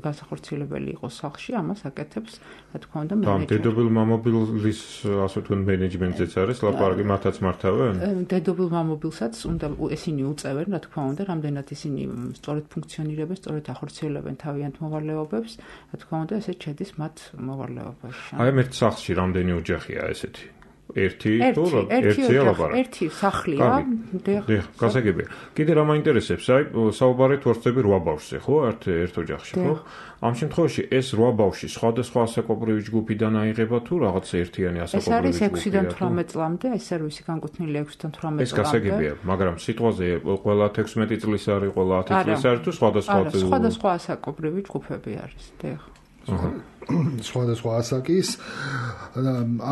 განსახორციელებელი იყოს სახლში, ამას აკეთებს, რა თქმა უნდა, მენეჯმენტი. დედობილ მამობილის ასე თქვენ მენეჯმენტზეც არის ლაპარაკი, მათაც მართავენ? დედობილ მამობილსაც უნდა ესენი უწევენ, რა თქმა უნდა, რამდენად ისინი სწორედ ფუნქციონირებენ, სწორედ ახორციელებენ თავიანთ მოვალეობებს, რა თქმა უნდა, ესეც შედის მათ მოვალეობაში. აი ამ ერთ სახლში რამდენი ოჯახია ესეთი? ერთია ლაპარაკი. ერთი სახლია. დიახ, გასაგებია. კიდე რა მაინტერესებს, აი საუბარით ვარცდები 8 ბავშვზე, ხო? ერთ ოჯახში, ხო? ამ შემთხვევაში ეს 8 ბავშვი სხვადასხვა ასაკობრივი ჯგუფიდან აიღება თუ რაღაც ერთიანი ასაკობრივი ჯგუფია? ეს არის 6-დან 18 წლამდე, ეს სერვისი განკუთვნილია 6-დან 18 წლამდე. ეს გასაგებია, მაგრამ სიტყვაზე ყველა 16 წლის არის, ყველა 10 წლის არის თუ სხვადასხვა ასაკობრივი ჯგუფები არის, დიახ. სხვადასხვა ასაკის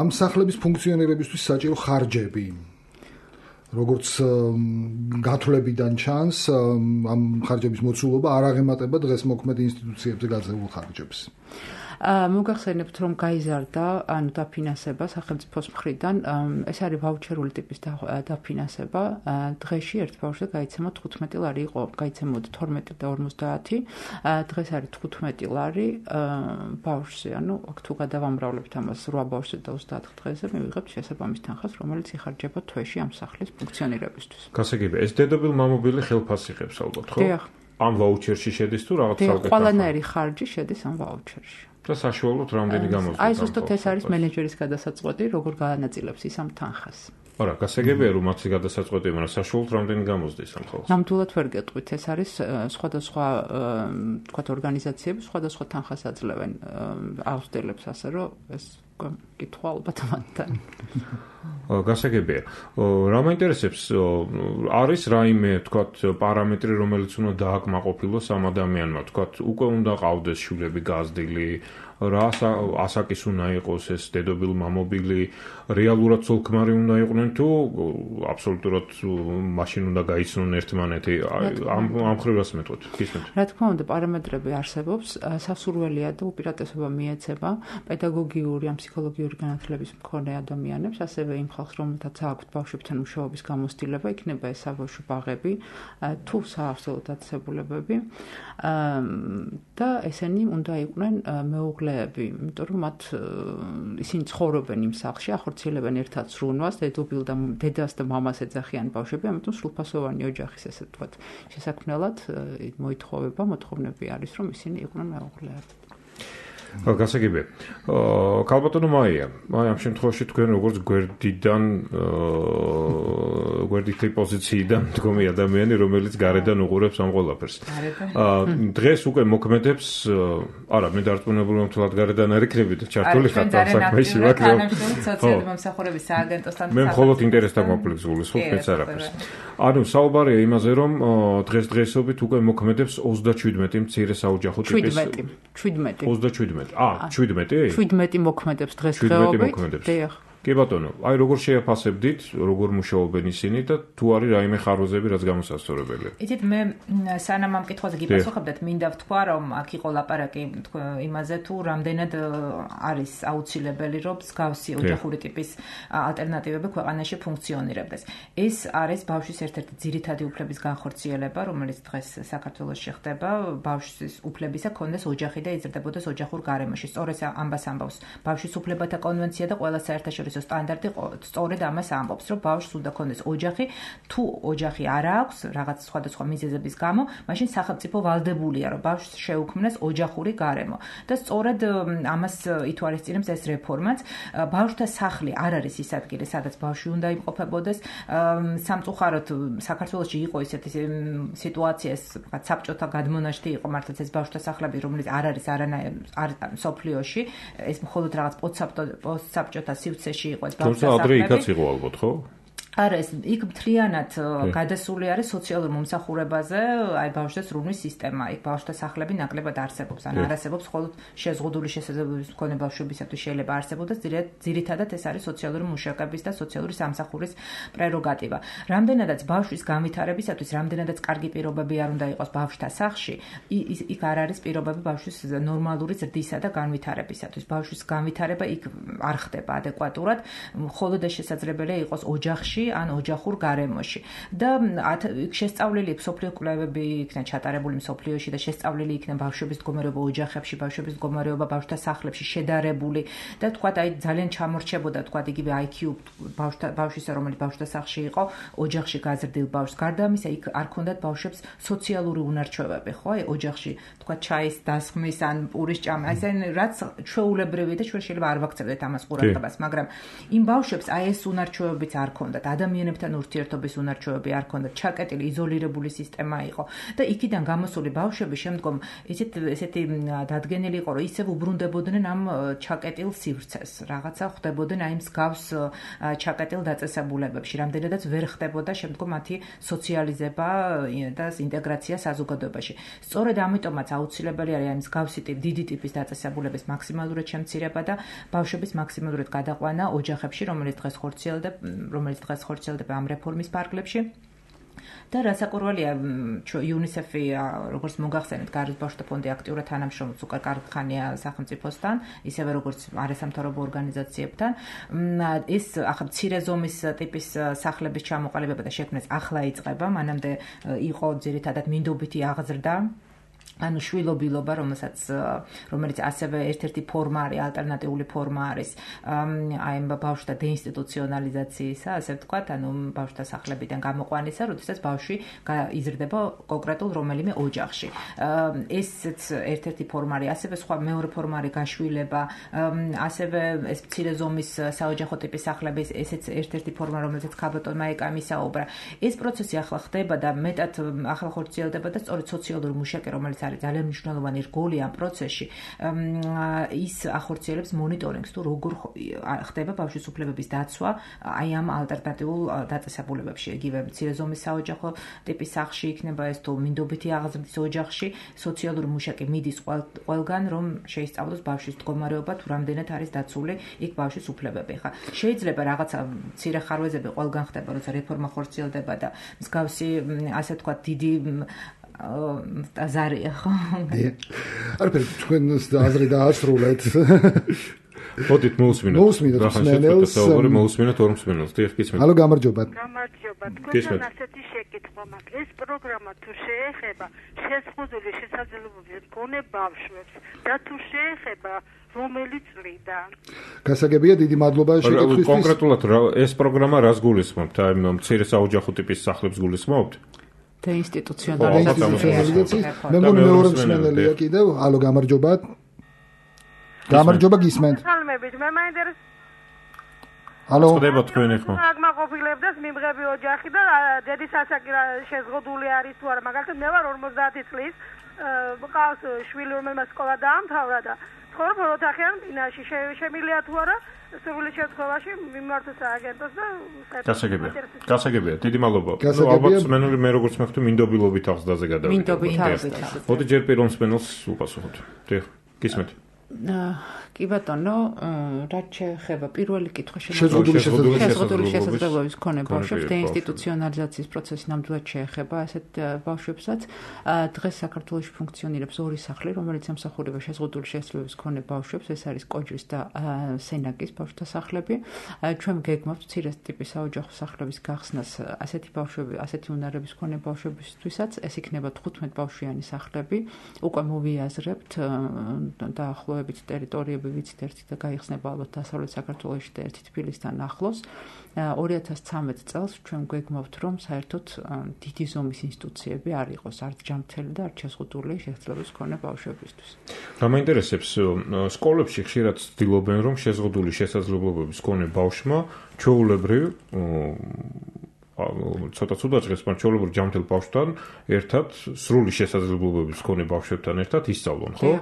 ამ სახლების ფუნქციონირებისთვის საჭირო ხარჯები. როგორც გათვლებიდან ჩანს, ამ ხარჯების მოცულობა არ აღემატება დღეს მოქმედ ინსტიტუციებზე გაძლევულ ხარჯებს. მოგახსენებთ, რომ გაიზარდა, ანუ დაფინანსება სახელმწიფოს მხრიდან, ეს არის ვაუჩერული ტიპის დაფინანსება. დღეში ერთ ბავშვზე გაიცემა 15 ლარი იყო, გაიცემოდა 12 და 50. დღეს არის 15 ლარი ბავშვზე, ანუ თუ გადავამრავლებთ ამას 8 ბავშვზე და 30 დღეზე, მივიღებთ შესაბამის თანხას, რომელიც იხარჯება თვეში ამ სახლის ფუნქციონირებისთვის. გასაგებია, ეს დედობილ მამობილი ხელფასს იღებს ალბათ, ხო? დიახ. ამ ვაუჩერში შედის თუ რაღაც საკუთარ ყველანაირი ხარჯი შედის ამ ვაუჩერში. და საშუალოდ რამდენი გამოსდის? აი ზუსტად ეს არის მენეჯერის გადასაწყვეტი, როგორ გაანაწილებს ის ამ თანხას. არა, გასაგებია რომ მათი გადასაწყვეტი, მაგრამ საშუალოდ რამდენი გამოსდის ამ ხალხს? ნამდვილად ვერ გეტყვით, ეს არის სხვადასხვა თქვათ ორგანიზაციები სხვადასხვა თანხას აძლევენ აღზრდელებს, ასე რომ ეს უკვე კითხვა ალბათ მათთან. გასაგებია. რა მაინტერესებს არის რაიმე თქვათ პარამეტრი რომელიც უნდა დააკმაყოფილოს ამ ადამიანმა თქვათ უკვე უნდა ყავდეს შვილები გაზრდილი რა ასაკის უნდა იყოს ეს დედობილი მამობილი რეალურად ცოლ-ქმარი უნდა იყვნენ თუ აბსოლუტურად მაშინ უნდა გაიცნონ ერთმანეთი ამ ხრივას მეთქოთ გისმენთ რა თქმა უნდა პარამეტრები არსებობს სასურველია და უპირატესობა მიეცება პედაგოგიური ან ფსიქოლოგიური განათლების მქონე ადამიანებს ასევე იმ ხალხს რომელთაც აქვთ ბავშვებთან მუშაობის გამოცდილება იქნება ეს საბავშვო ბაღები თუ საავსელო დაწესებულებები და ესენი უნდა იყვნენ მეუღლეები იმიტომ რომ მათ ისინი ცხოვრობენ იმ სახლში ახორციელებენ ერთად სრუნვას დედას და მამას ეძახიან ბავშვები ამიტომ სრულფასოვანი ოჯახის ესე ვთქვათ შესაქმნელად მოითხოვება მოთხოვნები არის რომ ისინი იყვნენ მეუღლეები გასაგებია. ქალბატონო მაია, ამ შემთხვევაში თქვენ როგორც გვერდითი პოზიციიდან მდგომი ადამიანი, რომელიც გარედან უყურებს ამ ყველაფერს. დღეს უკვე მოქმედებს, არა, მე დარწმუნებული ვარ, თულად გარედან არ იქნები და ჩართული ხარ საქმეში, მაგრამ სოციალური მომსახურების სააგენტოსთან მე მხოლოდ ინტერესთან კონფლიქტული, სულაც არაფერს. ანუ საუბარია იმაზე, რომ დღესდღეობით უკვე მოქმედებს 37 მცირე საოჯახო ტიპის 17 17 მოქმედებს დღესდღეობით. კი ბატონო, აი როგორ შეაფასებდით, როგორ მუშაობენ ისინი და თუ არის რაიმე ხარვეზები, რაც გამოსასწორებელია. იცით, მე სანამ ამ კითხვაზე გიპასუხებდეთ, მინდა ვთქვა, რომ აქ იყო ლაპარაკი იმაზე, თუ რამდენად არის აუცილებელი, რომ მსგავსი ოჯახური ტიპის ალტერნატივები ქვეყანაში ფუნქციონირებდეს. ეს არის ბავშვის ერთ-ერთი ძირითადი უფლების განხორციელება, რომელიც დღეს საქართველოში ხდება, ბავშვის უფლებისა ქონდეს ოჯახი და იზრდებოდეს ოჯახურ გარემოში. სწორედ ამას ამბობს ბავშვის უფლებათა კონვენცია და ყველა საერთაშორისო სტანდარტი სწორედ ამას ამბობს, რომ ბავშვს უნდა ქონდეს ოჯახი, თუ ოჯახი არ აქვს რაღაც სხვადასხვა მიზეზების გამო, მაშინ სახელმწიფო ვალდებულია, რომ ბავშვს შეუქმნას ოჯახური გარემო. და სწორედ ამას ითვალისწინებს ეს რეფორმაც. ბავშვთა სახლი არ არის ის ადგილი, სადაც ბავშვი უნდა იმყოფებოდეს. სამწუხაროდ საქართველოში იყო ისეთი სიტუაცია, საბჭოთა გადმონაშთი იყო მართლაც ეს ბავშვთა სახლები, რომელიც არ არის არანაირ სოფლიოში, ეს მხოლოდ რაღაც პოსტსაბჭოთა სივრცეში იყო ეს ბავშვთა სახლები. ადრე იქაც იყო ალბათ, ხო? არა, იქ მთლიანად გადასული არის სოციალურ მომსახურებაზე, აი ბავშვთა სრუნვის სისტემა, იქ ბავშვთა სახლები ნაკლებად არსებობს, ან არ არსებობს, მხოლოდ შეზღუდული შესაძლებლობის მქონე ბავშვებისათვის შეიძლება არსებობდეს, ძირითადად ეს არის სოციალური მუშაკების და სოციალური სამსახურის პრეროგატივა. რამდენადაც ბავშვის განვითარებისათვის, რამდენადაც კარგი პირობები არ უნდა იყოს ბავშვთა სახლში, იქ არ არის პირობები ბავშვის ნორმალური ზრდისა და განვითარებისათვის. ბავშვის განვითარება იქ არ ხდება ადეკვატურად, მხოლოდ ეს შესაძლებელია იყოს ოჯახში ან ოჯახურ გარემოში და შესწავლილი მსოფლიო კვლევები იქნა ჩატარებული მსოფლიოში და შესწავლილი იქნა ბავშვების მდგომარეობა ოჯახებში, ბავშვების მდგომარეობა ბავშვთა სახლებში შედარებული და თქვათ აი ძალიან ჩამორჩებოდა თქვათ იგივე IQ ბავშვისა რომელიც ბავშვთა სახლში იყო ოჯახში გაზრდილ ბავშვს გარდა ამისა იქ არ ქონდათ ბავშვებს სოციალური უნარჩვევები ხო აი ოჯახში თქვათ ჩაის დასხმის ან პურის ჭამა აი რაც ჩვეულებრივი და ჩვენ შეიძლება არ ვაქცევდეთ ამას ყურადღებას მაგრამ იმ ბავშვებს აი ეს უნარჩვევებიც არ ქონდათ ადამიანებთან ურთიერთობის უნარჩვევები არ ქონდათ, ჩაკეტილი იზოლირებული სისტემა იყო და იქიდან გამოსული ბავშვები შემდგომ ესეთი დადგენილი იყო, რომ ისევ უბრუნდებოდნენ ამ ჩაკეტილ სივრცეს. რაღაცა ხდებოდნენ აი მსგავს ჩაკეტილ დაწესებულებებში, რამდენადაც ვერ ხდებოდა შემდგომ მათი სოციალიზება და ინტეგრაცია საზოგადოებაში. სწორედ ამიტომაც აუცილებელი არის აი მსგავსი დიდი ტიპის დაწესებულების მაქსიმალურად შემცირება და ბავშვების მაქსიმალურად გადაყვანა ოჯახებში, რომელიც დღეს ხორციელდება ამ რეფორმის ფარგლებში. და რასაკვირველია, UNICEF-ი, როგორც მოგახსენეთ, გარეთ ბავშვთა ფონდი აქტიურად თანამშრომლობს უკვე კარგი ხანია სახელმწიფოსთან, ისევე როგორც არასამთავრობო ორგანიზაციებთან. ეს ახლა მცირე ზომის ტიპის სახლების ჩამოყალიბება და შექმნას ახლა იწყება, მანამდე იყო ძირითადად მინდობითი აღზრდა. ანუ შვილობილობა, რომელიც ასევე ერთ-ერთი ფორმა არის, ალტერნატიული ფორმა არის, აი ბავშვთა დეინსტიტუციონალიზაციისა, ასე ვთქვათ, ანუ ბავშვთა სახლებიდან გამოყვანისა, როდესაც ბავშვი იზრდება კონკრეტულ რომელიმე ოჯახში. ესეც ერთ-ერთი ფორმა არის, ასევე სხვა მეორე ფორმა არის გაშვილება, ასევე ეს მცირე ზომის საოჯახო ტიპის სახლები, ესეც ერთ-ერთი ფორმა, რომელზეც ქალბატონმა ეკამისაუბრა. ეს პროცესი ახლა ხდება და მეტად ახლა ხორციელდება და სწორედ სოციალური მუშაკი, რომელიც არის ძალიან მნიშვნელოვანი რგოლი ამ პროცესში, ის ახორციელებს მონიტორინგს თუ როგორ ხდება ბავშვის უფლებების დაცვა აი ამ ალტერნატიულ დაწესებულებებში, იგივე მცირე ზომის საოჯახო ტიპის სახლში იქნება ეს თუ მინდობითი აღზრდის ოჯახში, სოციალური მუშაკი მიდის ყველგან, რომ შეისწავლოს ბავშვის მდგომარეობა თუ რამდენად არის დაცული იქ ბავშვის უფლებები. ხა შეიძლება რაღაცა მცირე ხარვეზები ყველგან ხდება, როცა რეფორმა ხორციელდება და მსგავსი ასე ვთქვათ დიდი აზარია, ხო? არაფერი, თქვენ აზრი დაასრულეთ. მოდით მოусმინოთ ხსნელს, მოусმინოთ ორ მსმენელს. დიახ, გისმენთ. ალო, გამარჯობა. გამარჯობა. თქვენ ასეთი შეკითხვა მაქვს. ეს პროგრამა თუ შეეხება შეზღუდული შესაძლებლობების მქონე ბავშვებს და თუ შეეხება რომელი წლიდან? გასაგებია, დიდი მადლობა შეკითხვისთვის. კონკრეტულად ეს პროგრამა რას გულისხმობთ? აი მცირე საოჯახო ტიპის სახლებს გულისხმობთ? და ინსტიტუციონალიზაციის. მე მგონი მეორე მსმენელია კიდევ. ალო, გამარჯობა. გამარჯობა, გისმენთ. სალმებით, მე მაინტერესებს. ალო. ხდება თქვენი ხო? აღმაყოფილებდეს მიმღები ოჯახი და დედის ასაკი შეზღუდული არის თუ არა, მაგალითად მე ვარ 50 წლის, მყავს შვილი, რომელმაც სკოლა დაამთავრა და ცხოვრობ ოთახიან ბინაში, შემიძლია თუ არა სრული შემთხვევაში მიმართო სააგენტოს და გასაგებია, დიდი მადლობა. ალბათ მსმენელი მე როგორც მეხუთი მინდობილობით აღზრდაზე გადავიდა. მინდობილობით. მოდი ჯერ პირველ მსმენელს უპასუხოთ. დიახ, გისმენთ. კი ბატონო, რაც შეეხება პირველი კითხვა შეზღუდული შესაძლებლობის მქონე ბავშვებს და ინსტიტუციონალიზაციის პროცესი ნამდვილად შეეხება ასეთ ბავშვებსაც. დღეს საქართველოში ფუნქციონირებს ორი სახლი, რომელიც ემსახურება შეზღუდული შესაძლებლობის მქონე ბავშვებს, ეს არის კოჯრის და სენაკის ბავშვთა სახლები. ჩვენ გეგმავთ მცირე ტიპის საოჯახო სახლების გახსნას ასეთი ბავშვები, ასეთი უნარების მქონე ბავშვებისთვისაც. ეს იქნება 15 ბავშვიანი სახლები. უკვე მოვიაზრებთ დაახლოებით ტერიტორიები ვიცით ერთი და გაიხსნება ალბათ დასავლეთ საქართველოში და ერთი თბილისთან ახლოს. 2013 წელს ჩვენ გვეგმავთ, რომ საერთოდ დიდი ზომის ინსტიტუციები არ იყოს, არც ჯანმრთელი და არც შეზღუდული შესაძლებლობის მქონე ბავშვებისთვის. რა მაინტერესებს, სკოლებში ხშირად ცდილობენ, რომ შეზღუდული შესაძლებლობების მქონე ბავშვმა ჩვეულებრივ ცოტა ცუდად ჟღერს, მაგრამ ჩვეულებრივ ჯანმრთელ ბავშვთან ერთად სრული შესაძლებლობების მქონე ბავშვებთან ერთად ისწავლონ, ხო?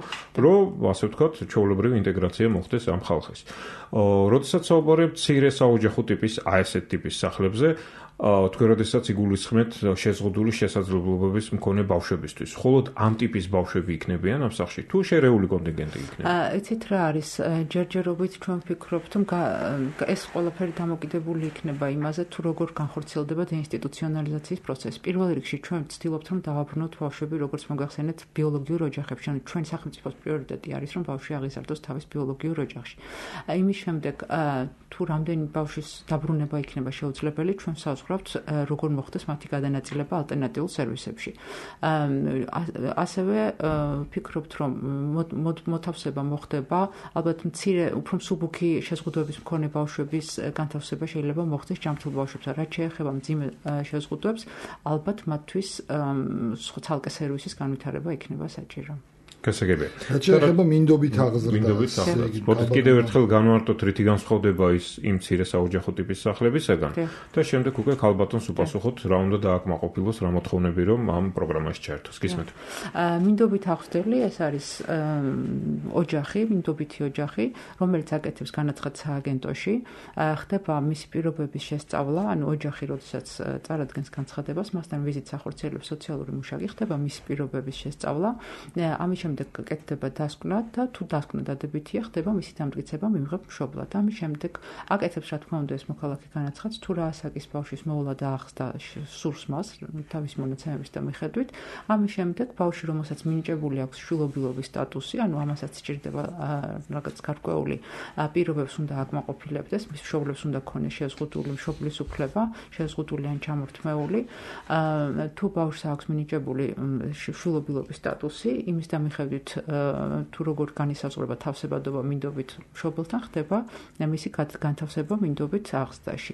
რომ ასე ვთქვათ, ჩვეულებრივი ინტეგრაცია მოხდეს ამ ხალხის. როდესაც საუბარია მცირე საოჯახო ტიპის ასეთ ტიპის სახლებზე, თქვენ როდესაც იგულისხმეთ შეზღუდული შესაძლებლობების მქონე ბავშვებისთვის, ხოლო ამ ტიპის ბავშვები იქნებიან ამ სახლში თუ შერეული კონტინგენტი იქნება? იცით რა არის, ჯერჯერობით ჩვენ ვფიქრობთ, რომ ეს ყველაფერი დამოკიდებული იქნება იმაზე, თუ როგორ განხორციელდება დეინსტიტუციონალიზაციის პროცესი. პირველ რიგში ჩვენ ვცდილობთ, რომ დავაბრუნოთ ბავშვები, როგორც მოგახსენეთ, ბიოლოგიურ ოჯახებში. ჩვენ სახელმწიფოს პრიორიტეტი არის, რომ ბავშვი აღიზარდოს თავის ბიოლოგიურ ოჯახში. იმის შემდეგ, თუ რამდენი ბავშვის დაბრუნება იქნება შეუძლებელი, ჩვენ ვსაუბრობთ, როგორ მოხდეს მათი გადანაწილება ალტერნატიულ სერვისებში. ასევე ვფიქრობთ, რომ მოთავსება მოხდება, ალბათ მცირე, უფრო მსუბუქი შეზღუდვების მქონე ბავშვების განთავსება შეიძლება მოხდეს ჯანმრთელ ბავშვებთან. რაც შეეხება მძიმე შეზღუდვებს, ალბათ მათთვის ცალკე სერვისის განვითარება იქნება საჭირო. გასაგებია. რაც შეეხება მინდობით აღზრდას. მოდით კიდევ ერთხელ განვარტოთ, რითი განსხვავდება ის იმ მცირე საოჯახო ტიპის სახლებისაგან და შემდეგ უკვე ქალბატონს უპასუხოთ, რა უნდა დააკმაყოფილოს, რა მოთხოვნები რომ ამ პროგრამაში ჩაერთოს. გისმენთ. მინდობით აღზრდელი ეს არის ოჯახი, მინდობითი ოჯახი, რომელიც აკეთებს განაცხადს სააგენტოში, ხდება მისი პირობების შესწავლა, ანუ ოჯახი, როდესაც წარადგენს განცხადებას, მასთან ვიზიტს ახორციელებს სოციალური მუშაკი, ხდება მისი პირობების შესწავლა. ამის შემდეგ კეთდება დასკვნა და თუ დასკვნა დადებითია, ხდება მისი დამტკიცება მიმღებ მშობლად. ამის შემდეგ აკეთებს რა თქმა უნდა ეს მოქალაქე განაცხადს, თუ რა ასაკის ბავშვის მოვლა და ახსდა სურს მას თავის მონაცემების და მიხედვით. ამის შემდეგ ბავშვი, რომელსაც მინიჭებული აქვს შვილობილობის სტატუსი, ანუ ამასაც სჭირდება რაღაც გარკვეული პირობებს უნდა აკმაყოფილებდეს, მის მშობლებს უნდა ქონდეს შეზღუდული მშობლის უფლება, შეზღუდული ან ჩამორთმეული. თუ ბავშვს აქვს მინიჭებული შვილობილობის სტატუსი, იმის და მიხედვით თუ როგორ განისაზღვრება თავსებადობა მინდობით მშობელთან, ხდება მისი განთავსება მინდობით აღზრდაში.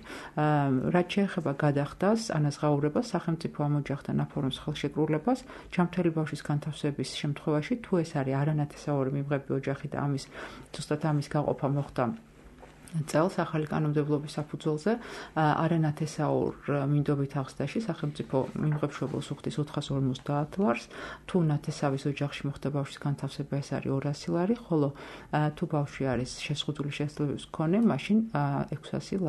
რაც შეეხება გადახდას, ანაზღაურებას, სახელმწიფო ამ ოჯახთან აფორმებს ხელშეკრულებას, ჯანმრთელი ბავშვის განთავსების შემთხვევაში, თუ ეს არის არანათესაური მიმღები ოჯახი და ზუსტად ამის გაყოფა მოხდა წელს ახალი კანონმდებლობის საფუძველზე არანათესაურ მინდობით აღზრდაში სახელმწიფო მიმღებშობილს უხდის 450 ლარს, თუ ნათესავის ოჯახში მოხდა ბავშვის განთავსება, ეს არის 200 ლარი, ხოლო თუ ბავშვი არის შეზღუდული შესაძლებლობის მქონე, მაშინ 600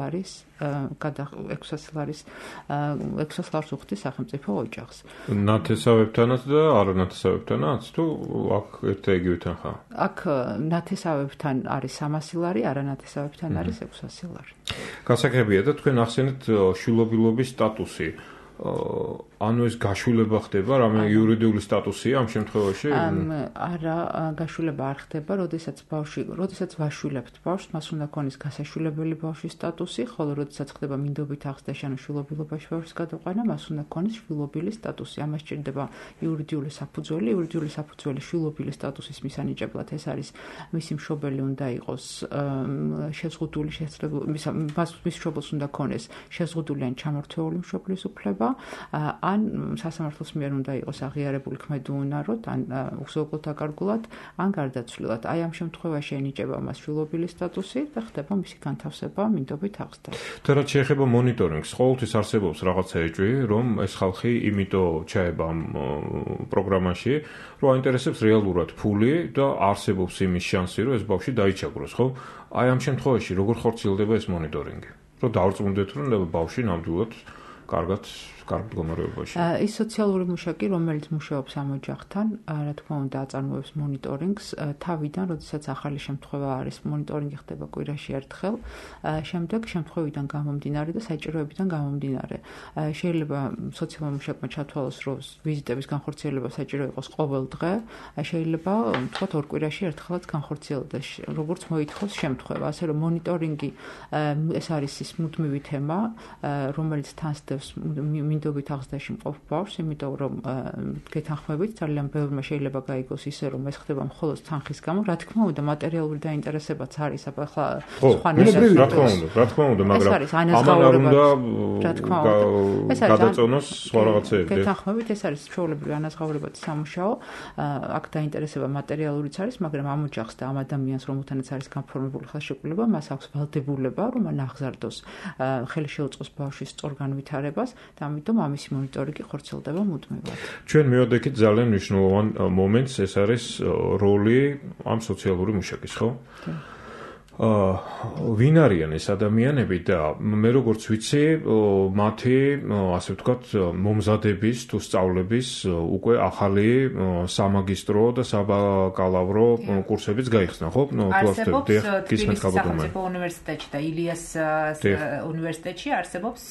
ლარს უხდის სახელმწიფო ოჯახს. ნათესავებთანაც და არანათესავებთანაც, თუ აქ ერთ-ეგივე თანხა? აქ ნათესავებთან არის 300 ლარი, არანათესავებთან არის 600 ლარი. გასაგებია და თქვენ ახსენეთ შვილობილობის სტატუსი. ანუ ეს გაშულება ხდება, რამე იურიდიული სტატუსია ამ შემთხვევაში? არა, გაშულება არ ხდება, როდესაც ვაშვილებთ ბავშვს, მას უნდა ქონდეს გასაშვილებელი ბავშვის სტატუსი, ხოლო როდესაც ხდება მინდობით აღზრდაში, ანუ შვილობილობაში ბავშვის გადაყვანა, მას უნდა ქონდეს შვილობილი სტატუსი. ამას სჭირდება იურიდიული საფუძველი, იურიდიული საფუძველი შვილობილი სტატუსის მისანიჭებლად, ეს არის მისი მშობელი უნდა იყოს შეზღუდული შესაძლებლობა, მის მშობელს უნდა ქონდეს შეზღუდული ან ჩამორთვეული მშობლის უფლება, ან სასამართლოს მიერ უნდა იყოს აღიარებული ქმედუუნაროდ, ან უზოგოდ დაკარგულად, ან გარდაცვლილად. აი ამ შემთხვევაში ენიჭება მას შვილობილი სტატუსი და ხდება მისი განთავსება მინდობით აღზრდაში. და რაც შეეხება მონიტორინგს, ყოველთვის არსებობს რაღაცა ეჭვი, რომ ეს ხალხი იმიტომ ჩაება ამ პროგრამაში, რომ აინტერესებს რეალურად ფული და არსებობს იმის შანსი, რომ ეს ბავშვი დაიჩაგროს, ხო? აი ამ შემთხვევაში როგორ ხორციელდება ეს მონიტორინგი? რომ დავრწმუნდეთ, რომ ბავშვი ნამდვილად კარგად მდგომარეობაში. ის სოციალური მუშაკი, რომელიც მუშაობს ამ ოჯახთან, რა თქმა უნდა, აწარმოებს მონიტორინგს თავიდან, როდესაც ახალი შემთხვევა არის, მონიტორინგი ხდება კვირაში ერთხელ, შემდეგ შემთხვევიდან გამომდინარე და საჭიროებიდან გამომდინარე. შეიძლება სოციალურ მუშაკმა ჩათვალოს, რომ ვიზიტების განხორციელება საჭირო იყოს ყოველ დღე, შეიძლება თქვათ ორ კვირაში ერთხელაც განხორციელდეს, როგორც მოითხოვს შემთხვევა. ასე რომ მონიტორინგი ეს არის ის მუდმივი თემა, რომელიც თანსდევს მინდობით აღზრდაში მყოფ ბავშვს, იმიტომ რომ გეთანხმებით ძალიან ბევრმა შეიძლება გაიგოს ისე, რომ ეს ხდება მხოლოდ თანხის გამო, რა თქმა უნდა, მატერიალური დაინტერესებაც არის, ახლა სხვა ნებისმიერ რა თქმა უნდა, მაგრამ ამან არ უნდა გადაწონოს სხვა რაღაცეები. გეთანხმებით ეს არის ჩვეულებრივი ანაზღაურებადი სამუშაო, აქ დაინტერესება მატერიალურიც არის, მაგრამ ამ ოჯახს და ამ ადამიანს, რომელთანაც არის განფორმებული ხელშეკრულება, მას აქვს ვალდებულება, რომ მან აღზარდოს, ხელი შეუწყოს ბავშვის სწორ განვითარებას და ამიტომ ამისი მონიტორინგი ხორციელდება მუდმივად. ჩვენ მივადექით ძალიან მნიშვნელოვან მომენტს, ეს არის როლი ამ სოციალური მუშაკის, ხო? ვინ არიან ეს ადამიანები და მე როგორც ვიცი, მათი, ასე ვთქვათ, მომზადების თუ სწავლების უკვე ახალი სამაგისტრო და საბაკალავრო კურსებიც გაიხსნა, ხო? არსებობს თბილისის სახელმწიფო უნივერსიტეტში და ილიას უნივერსიტეტში არსებობს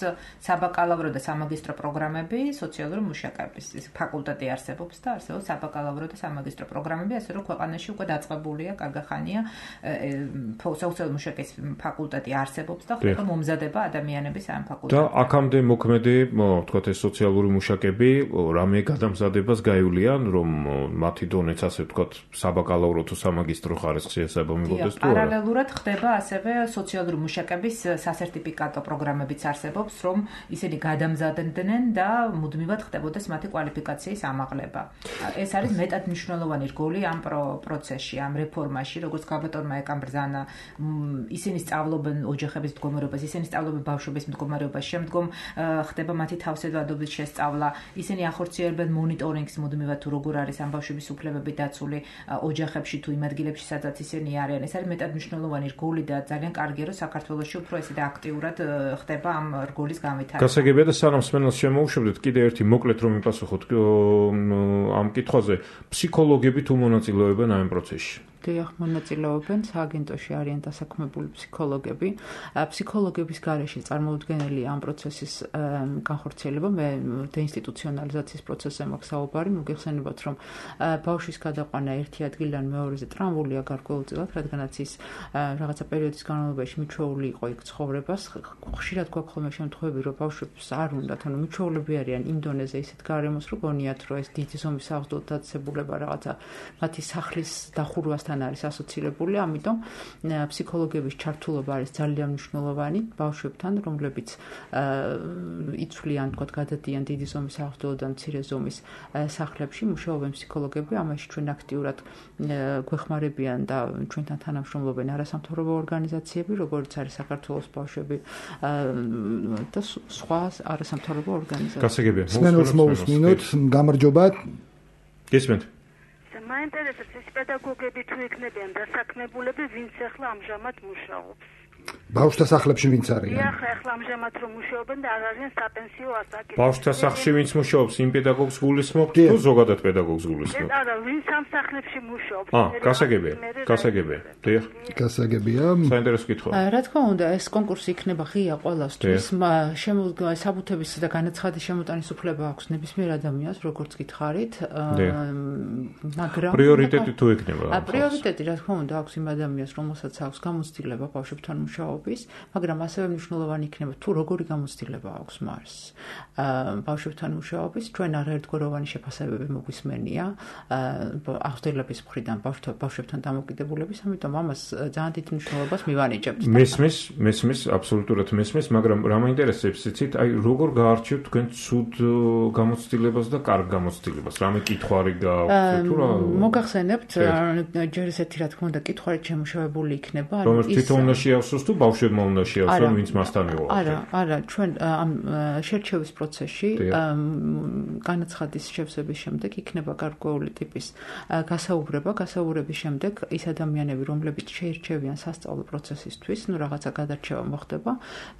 საბაკალავრო და სამაგისტრო პროგრამები სოციალური მუშაკების. ფაკულტეტი არსებობს და არსებობს საბაკალავრო და სამაგისტრო პროგრამები, ასე რომ ქვეყანაში უკვე დაწყებულია კარგახანია სოციალური მუშაკის ფაკულტეტი არსებობს და ხდება მომზადება ადამიანების ამ ფაკულტეტზე. და აქამდე მოქმედი, ვთქვათ, ეს სოციალური მუშაკები რამე გადამზადებას გაივლიან, რომ მათი დონეც, ასე ვთქვათ, საბაკალავრო თუ სამაგისტრო ხარისხი ესაბამებოდეს თუ არა? პარალელურად ხდება ასევე სოციალური მუშაკების სასერტიფიკატო პროგრამებიც არსებობს, რომ ისინი გადამზადებდნენ და მუდმივად ხდებოდეს მათი კვალიფიკაციის ამაღლება. ეს არის მეტად მნიშვნელოვანი რგოლი ამ პროცესში, ამ რეფორმაში, როგორც გაბატონმა ეკამბრძანა, ისინი სწავლობენ ოჯახების მდგომარეობას, ისინი სწავლობენ ბავშვების მდგომარეობას, შემდგომ ხდება მათი თავსებადობის შესწავლა, ისინი ახორციელებენ მონიტორინგს მუდმივად თუ როგორ არის ამ ბავშვების უფლებები დაცული ოჯახებში თუ იმ ადგილებში, სადაც ისინი არიან. ეს არის მეტად მნიშვნელოვანი რგოლი და ძალიან კარგია, რომ საქართველოში უფრო ესე და აქტიურად ხდება ამ რგოლის განვითარება. გასაგებია და სანამ სმენელს შემოუშვებდეთ, კიდე ერთი მოკლედ რომ მიპასუხოთ ამ კითხვაზე, ფსიქოლოგები თუ მონაწილეობენ ამ პროცესში? დიახ, მონაწილეობენ, სააგენტოში არიან დასაქმებული ფსიქოლოგები. ფსიქოლოგების გარეშე წარმოუდგენელია ამ პროცესის განხორციელება. მე დეინსტიტუციონალიზაციის პროცესზე მაქვს საუბარი, მოგეხსენებათ, რომ ბავშვის გადაყვანა ერთი ადგილიდან მეორეზე ტრამვულია გარკვეულწილად, რადგანაც ის რაღაცა პერიოდის განმავლობაში მიჩვეული იყო იქ ცხოვრებას. ხშირად გვაქვს ხოლმე შემთხვევები, რომ ბავშვებს არ უნდათ, ანუ მიჩვეულები არიან იმ დონეზე ისეთ გარემოს, რომ გონიათ, რომ ეს დიდი ზომის აღზრდות დაწესებულება რაღაცა მათი სახლის დახურვასთან სკოლასთან არის ასოცირებული, ამიტომ ფსიქოლოგების ჩართულობა არის ძალიან მნიშვნელოვანი ბავშვებთან, რომლებიც იცვლიან, თქო, გადადიან დიდი ზომის აღზრდილო და მცირე ზომის სახლებში, მუშაობენ ფსიქოლოგები, ამაში ჩვენ აქტიურად გვეხმარებიან და ჩვენთან თანამშრომლობენ არასამთავრობო ორგანიზაციები, როგორც არის საქართველოს ბავშვები და სხვა არასამთავრობო ორგანიზაციები. გასაგებია. მოვუსმინოთ, გამარჯობა. გესმენთ? მაინტერესებს ის პედაგოგები თუ იქნებიან დასაქმებულები, ვინც ახლა ამჟამად მუშაობს. ბავშვთა სახლებში ვინც არიან? ახლა ამჟამად რომ მუშაობენ და არ არიან საპენსიო ასაკი. ბავშვთა სახლში ვინც მუშაობს, იმ პედაგოგს გულისხმობთ თუ ზოგადად პედაგოგს გულისხმობთ? არა, ვინც ამ სახლებში მუშაობს. გასაგებია. დიახ. გასაგებია. საინტერესო კითხვა. რა თქმა უნდა, ეს კონკურსი იქნება ღია ყველასთვის. საბუთების და განაცხადის შემოტანის უფლება აქვს ნებისმიერ ადამიანს, როგორც გითხარით. მაგრამ პრიორიტეტი თუ იქნება? პრიორიტეტი რა თქმა უნდა აქვს იმ ადამიანს, რომელსაც აქვს გამოცდილება ბავშვებთან მუშაობის, მაგრამ ასევე მნიშვნელოვანი იქნება თუ როგორი გამოცდილება აქვს მას. ბავშვებთან მუშაობის ჩვენ არაერთგვაროვანი შეფასებები მოგვისმენია აღზრდილების მხრიდან ბავშვებთან დამოკიდებულების, ამიტომ ამას ძალიან დიდ მნიშვნელობას მივანიჭებთ. მესმის, აბსოლუტურად მესმის, მაგრამ რა მაინტერესებს, იცით, აი როგორ გაარჩევთ თქვენ ცუდ გამოცდილებას და კარგ გამოცდილებას? რამე კითხვარი გააქვთ თუ რა? მოგახსენებთ, ჯერ ესეთი რა თქმა უნდა კითხვარი შემუშავებული იქნება, რომელიც თვითონ უნდა შეავსოს თუ ბავშვებმა უნდა შეავსონ, ვინც მასთან იყო? არა, ჩვენ ამ შერჩევის პროცესში განაცხადის შევსების შემდეგ იქნება გარკვეული ტიპის გასაუბრების შემდეგ ის ადამიანები, რომლებიც შეირჩევიან სასწავლო პროცესისთვის, რაღაცა გადარჩევა მოხდება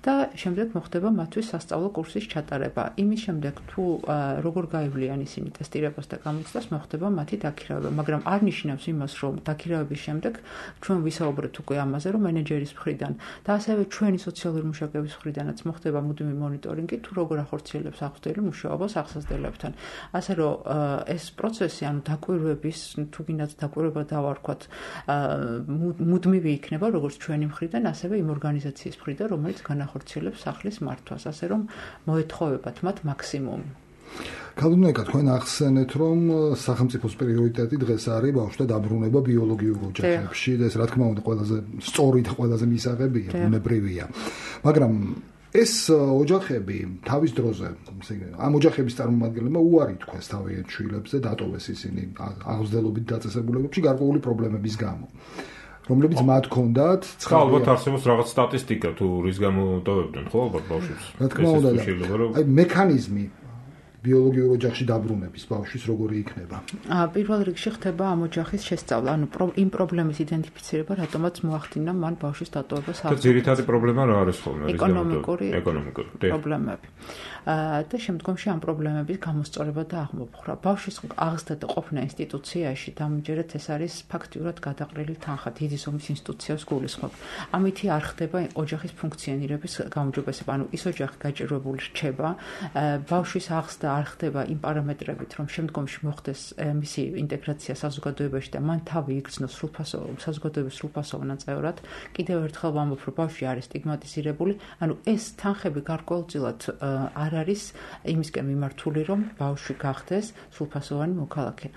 და შემდეგ მოხდება მათთვის სასწავლო კურსის ჩატარება. იმის შემდეგ თუ როგორ გაივლიან ისინი ტესტირებას და გამოცდას, მოხდება მათი დაქირავება, მაგრამ არ ნიშნავს იმას, რომ დაქირავების შემდეგ ჩვენ ვისაუბრეთ უკვე ამაზე, რომ მენეჯერის მხრიდან და ასევე ჩვენი სოციალური მუშაკების მხრიდანაც მოხდება მუდმივი მონიტორინგი, თუ როგორ ახორციელებს აღზრდილი მუშაობას აღსაზრდილებთან. ასე რომ ეს პროცესი, ანუ დაკვირვების, თუ გინდათ დაკვირვება დავარქვათ, მუდმივი იქნება როგორც ჩვენი მხრიდან, ასევე იმ ორგანიზაციის მხრიდან, რომელიც განახორციელებს სახლის მართვას, ასე რომ მოეთხოვებათ მათ მაქსიმუმი. ქალბატონო, თქვენ ახსენეთ, რომ სახელმწიფოს პრიორიტეტი დღეს არის ბავშვთა დაბრუნება ბიოლოგიურ ოჯახებში და ეს რა თქმა უნდა ყველაზე სწორი და ყველაზე მისაღებია, ბუნებრივია. მაგრამ ეს ოჯახები თავის დროზე, ამ ოჯახების წარმომადგენლებმა უარი თქვეს თავიანთ შვილებზე, დატოვეს ისინი აღზრდელობით დაწესებულებებში გარკვეული პრობლემების გამო. რომლებიც მათ ჰქონდათ, ალბათ არსებობს რაღაც სტატისტიკა თუ რის გამო ტოვებდნენ, ხო, ალბათ ბავშვებს. რა თქმა უნდა, აი მექანიზმი ბიოლოგიურ ოჯახში დაბრუნების ბავშვის როგორი იქნება? პირველ რიგში ხდება ამ ოჯახის შესწავლა, ანუ იმ პრობლემის იდენტიფიცირება, რატომაც მოახდინა მან ბავშვის დატოვება და ძირითადი პრობლემა რა არის ხოლმე? ეკონომიკური პრობლემები. და შემდგომში ამ პრობლემების გამოსწორება და აღმოფხვრა. ბავშვის აღზრდა და ყოფნა ინსტიტუციაში დამჯერად ეს არის ფაქტიურად გადაყრილი თანხა, დიდი ზომის ინსტიტუციას გულისხმობ. ამითი არ ხდება ოჯახის ფუნქციონირების გაუმჯობესება, ანუ ის ოჯახი გაჭირვებული რჩება, ბავშვის აღზრდა არ ხდება იმ პარამეტრებით, რომ შემდგომში მოხდეს მისი ინტეგრაცია საზოგადოებაში და მან თავი იგრძნოს საზოგადოების სრულფასოვან წევრად. კიდევ ერთხელ ვამბობ, რომ ბავშვი არის სტიგმატიზირებული, ანუ ეს თანხები გარკვეულწილად არ არის იმისკენ მიმართული, რომ ბავშვი გახდეს სრულფასოვანი მოქალაქე.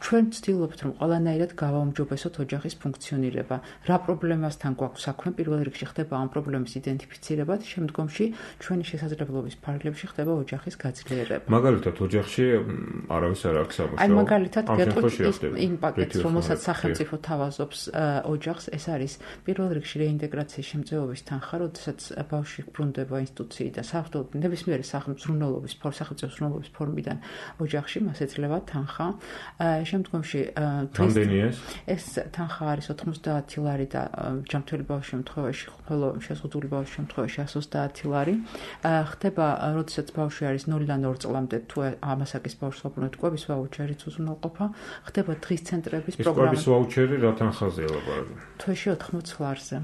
ჩვენ ვცდილობთ, რომ ყველანაირად გავაუმჯობესოთ ოჯახის ფუნქციონირება. რა პრობლემასთან გვაქვს საქმე, პირველ რიგში ხდება ამ პრობლემის იდენტიფიცირება, შემდგომში ჩვენი შესაძლებლობის ფარგლებში ხდება ოჯახის გაძლიერება. მაგალითად, ოჯახში არავის არ აქვს სამუშაო. აი მაგალითად, გეტყვით იმ პაკეტს, რომელსაც სახელმწიფო თავაზობს ოჯახს, ეს არის პირველ რიგში რეინტეგრაციის შემწეობის თანხა, როდესაც ბავშვი ბრუნდება ინსტიტუციიდან საერთოდ ნებისმიერი სახელმწიფო ზრუნველობის ფორმიდან ოჯახში მას ეძლევა თანხა. შემდგომში ეს თანხა არის 90 ლარი და ჯანმრთელი ბავშვის შემთხვევაში, ხოლო შეზღუდული ბავშვის შემთხვევაში 130 ლარი. ხდება, როდესაც ბავშვი არის 0-დან 2 წლამდე, თუ ამასაკის ბავშვს ვაბრუნებთ, კვების ვაუჩერიც უზრუნველყოფა. ხდება დღის ცენტრების პროგრამა. კვების ვაუჩერი რა თანხაზეა ლაპარაკი? თვეში 80 ლარზე.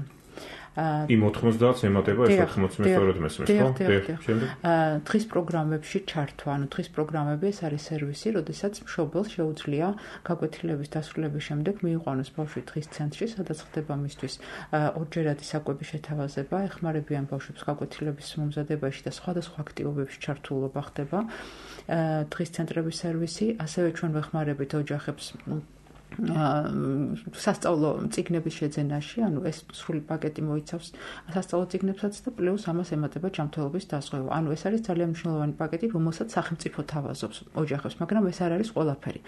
იმ 90-დან ემატება ეს 80 მეტყველად მესმის, ხო? დღის პროგრამებში ჩართვა, ანუ დღის პროგრამები ეს არის სერვისი, როდესაც მშობელს შეუძლია გაკვეთილების დასრულების შემდეგ მიიყვანოს ბავშვი დღის ცენტრში, სადაც ხდება მისთვის ორჯერადი საკვების შეთავაზება, ეხმარებიან ბავშვებს გაკვეთილების მომზადებაში და სხვადასხვა აქტივობებში ჩართულობა ხდება. დღის ცენტრების სერვისი, ასევე ჩვენ ვეხმარებით ოჯახებს სასწავლო წიგნების შეძენაში, ანუ ეს სრული პაკეტი მოიცავს სასწავლო წიგნებსაც და პლუს ამას ემატება ჯანმრთელობის დაზღვევა. ანუ ეს არის ძალიან მნიშვნელოვანი პაკეტი, რომელსაც სახელმწიფო თავაზობს ოჯახებს, მაგრამ ეს არ არის ყველაფერი.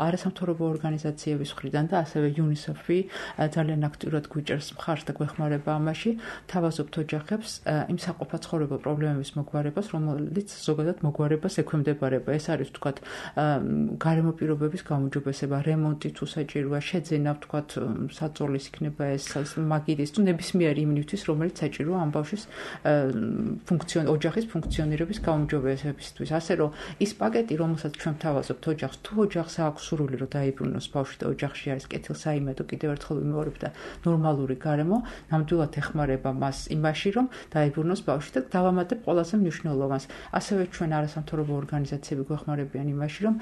არასამთავრობო ორგანიზაციების მხრიდან და ასევე UNICEF-ი ძალიან აქტიურად გვიჭერს მხარს და გვეხმარება ამაში, თავაზობთ ოჯახებს იმ საყოფაცხოვრებო პრობლემების მოგვარებას, რომელიც ზოგადად მოგვარებას ექვემდებარება. ეს არის ვთქვათ გარემო პირობების გაუმჯობესება, რემონტი თუ საჭიროა, შეძენა ვთქვათ საწოლის იქნება ეს მაგირის თუ ნებისმიერი იმნივთვის, რომელიც საჭიროა ამ ბავშვის ოჯახის ფუნქციონირების გაუმჯობესებისთვის. ასე რომ ის პაკეტი, რომელსაც ჩვენ თავაზობთ ოჯახს, თუ ოჯახს აქვს სურვილი რომ დაიბრუნოს ბავშვი და ოჯახში არის კეთილსაიმედო, კიდევ ერთხელ ვიმეორებ და ნორმალური გარემო, ნამდვილად ეხმარება მას იმაში, რომ დაიბრუნოს ბავშვი და დავამატებ ყველაზე მნიშვნელოვანს. ასევე ჩვენ არასამთავრობო ორგანიზაციები გვეხმარებიან იმაში, რომ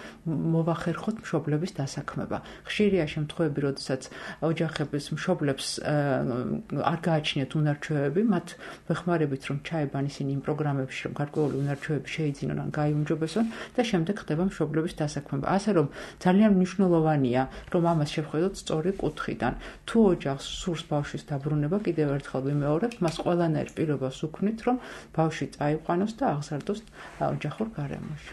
მოვახერხოთ მშობლების დასაქმება. ხშირია შემთხვევები, როდესაც ოჯახების მშობლებს არ გააჩნიათ უნარჩვევები, მათ ვეხმარებით, რომ ჩაებან ისინი იმ პროგრამებში, რომ გარკვეული უნარჩვევები შეიძინონ ან გაიუმჯობესონ და შემდეგ ხდება მშობლების დასაქმება. ასე რომ ძალიან მნიშვნელოვანია, რომ ამას შევხედოთ სწორი კუთხიდან. თუ ოჯახს სურს ბავშვის დაბრუნება, კიდევ ერთხელ ვიმეორებ, მას ყველანაირ პირობას უქმნით, რომ ბავშვი წაიყვანოს და აღზარდოს ოჯახურ გარემოში.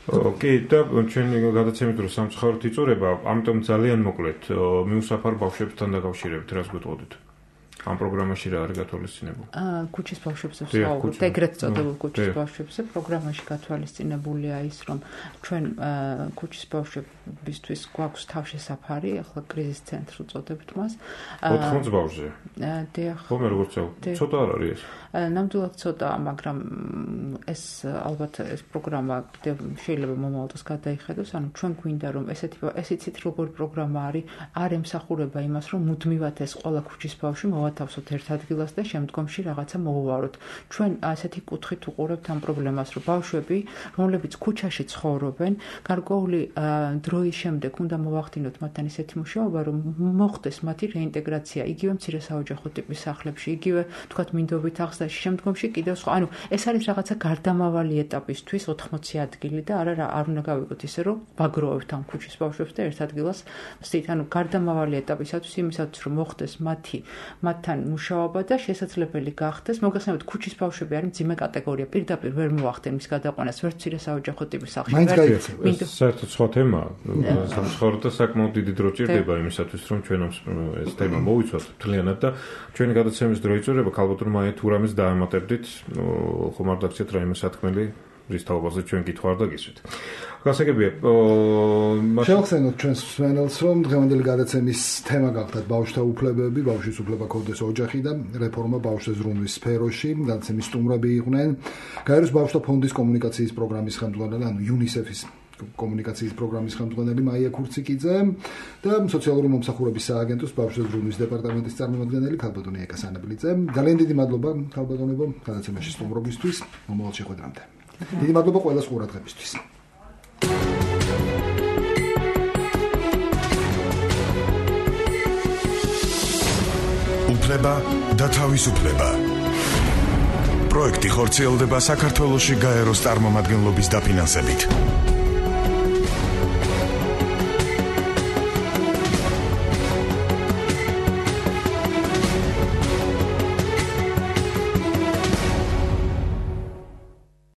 ოკეი, და ჩვენი გადაცემით რომ სამწუხაროდ იწურება, ამიტომ ძალიან მოკლედ მიუსაფარ ბავშვებთან დაკავშირებით რას გვეტყოდით? ამ პროგრამაში რა არის გათვალისწინებული? ქუჩის ბავშვებზე ვსაუბრობთ, ეგრეთ წოდებულ ქუჩის ბავშვებზე. პროგრამაში გათვალისწინებულია ის, რომ ჩვენ ქუჩის ბავშვებისთვის გვაქვს თავშესაფარი, ახლა კრიზის ცენტრი უწოდებთ მას. 80 ბავშვზე. დიახ. ხომ როგორც ცოტა არ არის ეს? ნამდვილად ცოტა, მაგრამ ეს ალბათ ეს პროგრამა შეიძლება მომავალ დროს გადაიხედოს, ანუ ჩვენ გვინდა რომ ესეც როგორი პროგრამა არის, არ ემსახურება იმას, რომ მუდმივად ეს ყველა ქუჩის ბავშვი მოვათავსოთ ერთ ადგილას და შემდგომში რაღაცა მოვუაროთ. ჩვენ ასეთი კუთხით უყურებთ ამ პრობლემას, რომ ბავშვები, რომლებიც ქუჩაში ცხოვრობენ, გარკვეული დროის შემდეგ უნდა მოვახდინოთ მათთან ისეთი მუშაობა, რომ მოხდეს მათი რეინტეგრაცია იგივე მცირე საოჯახო ტიპის სახლებში, იგივე თქვათ მინდობით აღზრდაში, შემდგომში კიდევ სხვა. ანუ ეს არის რაღაცა გარდამავალი ეტაპისთვის 80 ადგილი და არ უნდა გავიგოთ ისე, რომ ვაგროვებთ ამ ქუჩის ბავშვებს და ერთ ადგილას ვსით. ანუ გარდამავალი ეტაპისათვის იმისათვის, რომ მოხდეს მათთან მუშაობა და შესაძლებელი გახდეს. მოგეხსენებათ, ქუჩის ბავშვები არის მძიმე კატეგორია, პირდაპირ ვერ მოახდენ მის გადაყვანას ვერც მცირე საოჯახო ტიპის სახლში. საერთოდ სხვა თემაა. სამწუხაროდ და საკმაოდ დიდი დრო ჭირდება იმისათვის, რომ ჩვენ ეს თემა მოვიცვათ მთლიანად და ჩვენი გადაცემის დრო იწურება, ქალბატონ მაია თურამის დაემატებდით, ხომ არ დაგჭირთ რაიმე სათქმელი რის თაობაზე ჩვენ გითხვარ და გისვით. გასაგებია, შევახსენოთ ჩვენს მსმენელს, რომ დღევანდელი გადაცემის თემა გახლდათ ბავშვთა უფლებები, ბავშვის უფლება ქონდეს ოჯახი და რეფორმა ბავშვთა ზრუნვის სფეროში. გადაცემის სტუმრები იყვნენ გაეროს ბავშვთა ფონდის კომუნიკაციის პროგრამის ხელმძღვანელი, ანუ UNICEF-ის კომუნიკაციის პროგრამის ხელმძღვანელი მაია ქურციკიძე და სოციალური მომსახურების სააგენტოს ბავშვთა ზრუნვის დეპარტამენტის წარმომადგენელი ქალბატონი ეკა სანაბლიძე. ძალიან დიდი მადლობა ქალბატონებო გადაცემაში სტუმრობისთვის. მომავალ შეხვედრამდე. დიდი მადლობა ყველას ყურადღებისთვის. უფლება და თავისუფლება. პროექტი ხორციელდება საქართველოში გაეროს წარმომადგენლობის დაფინანსებით.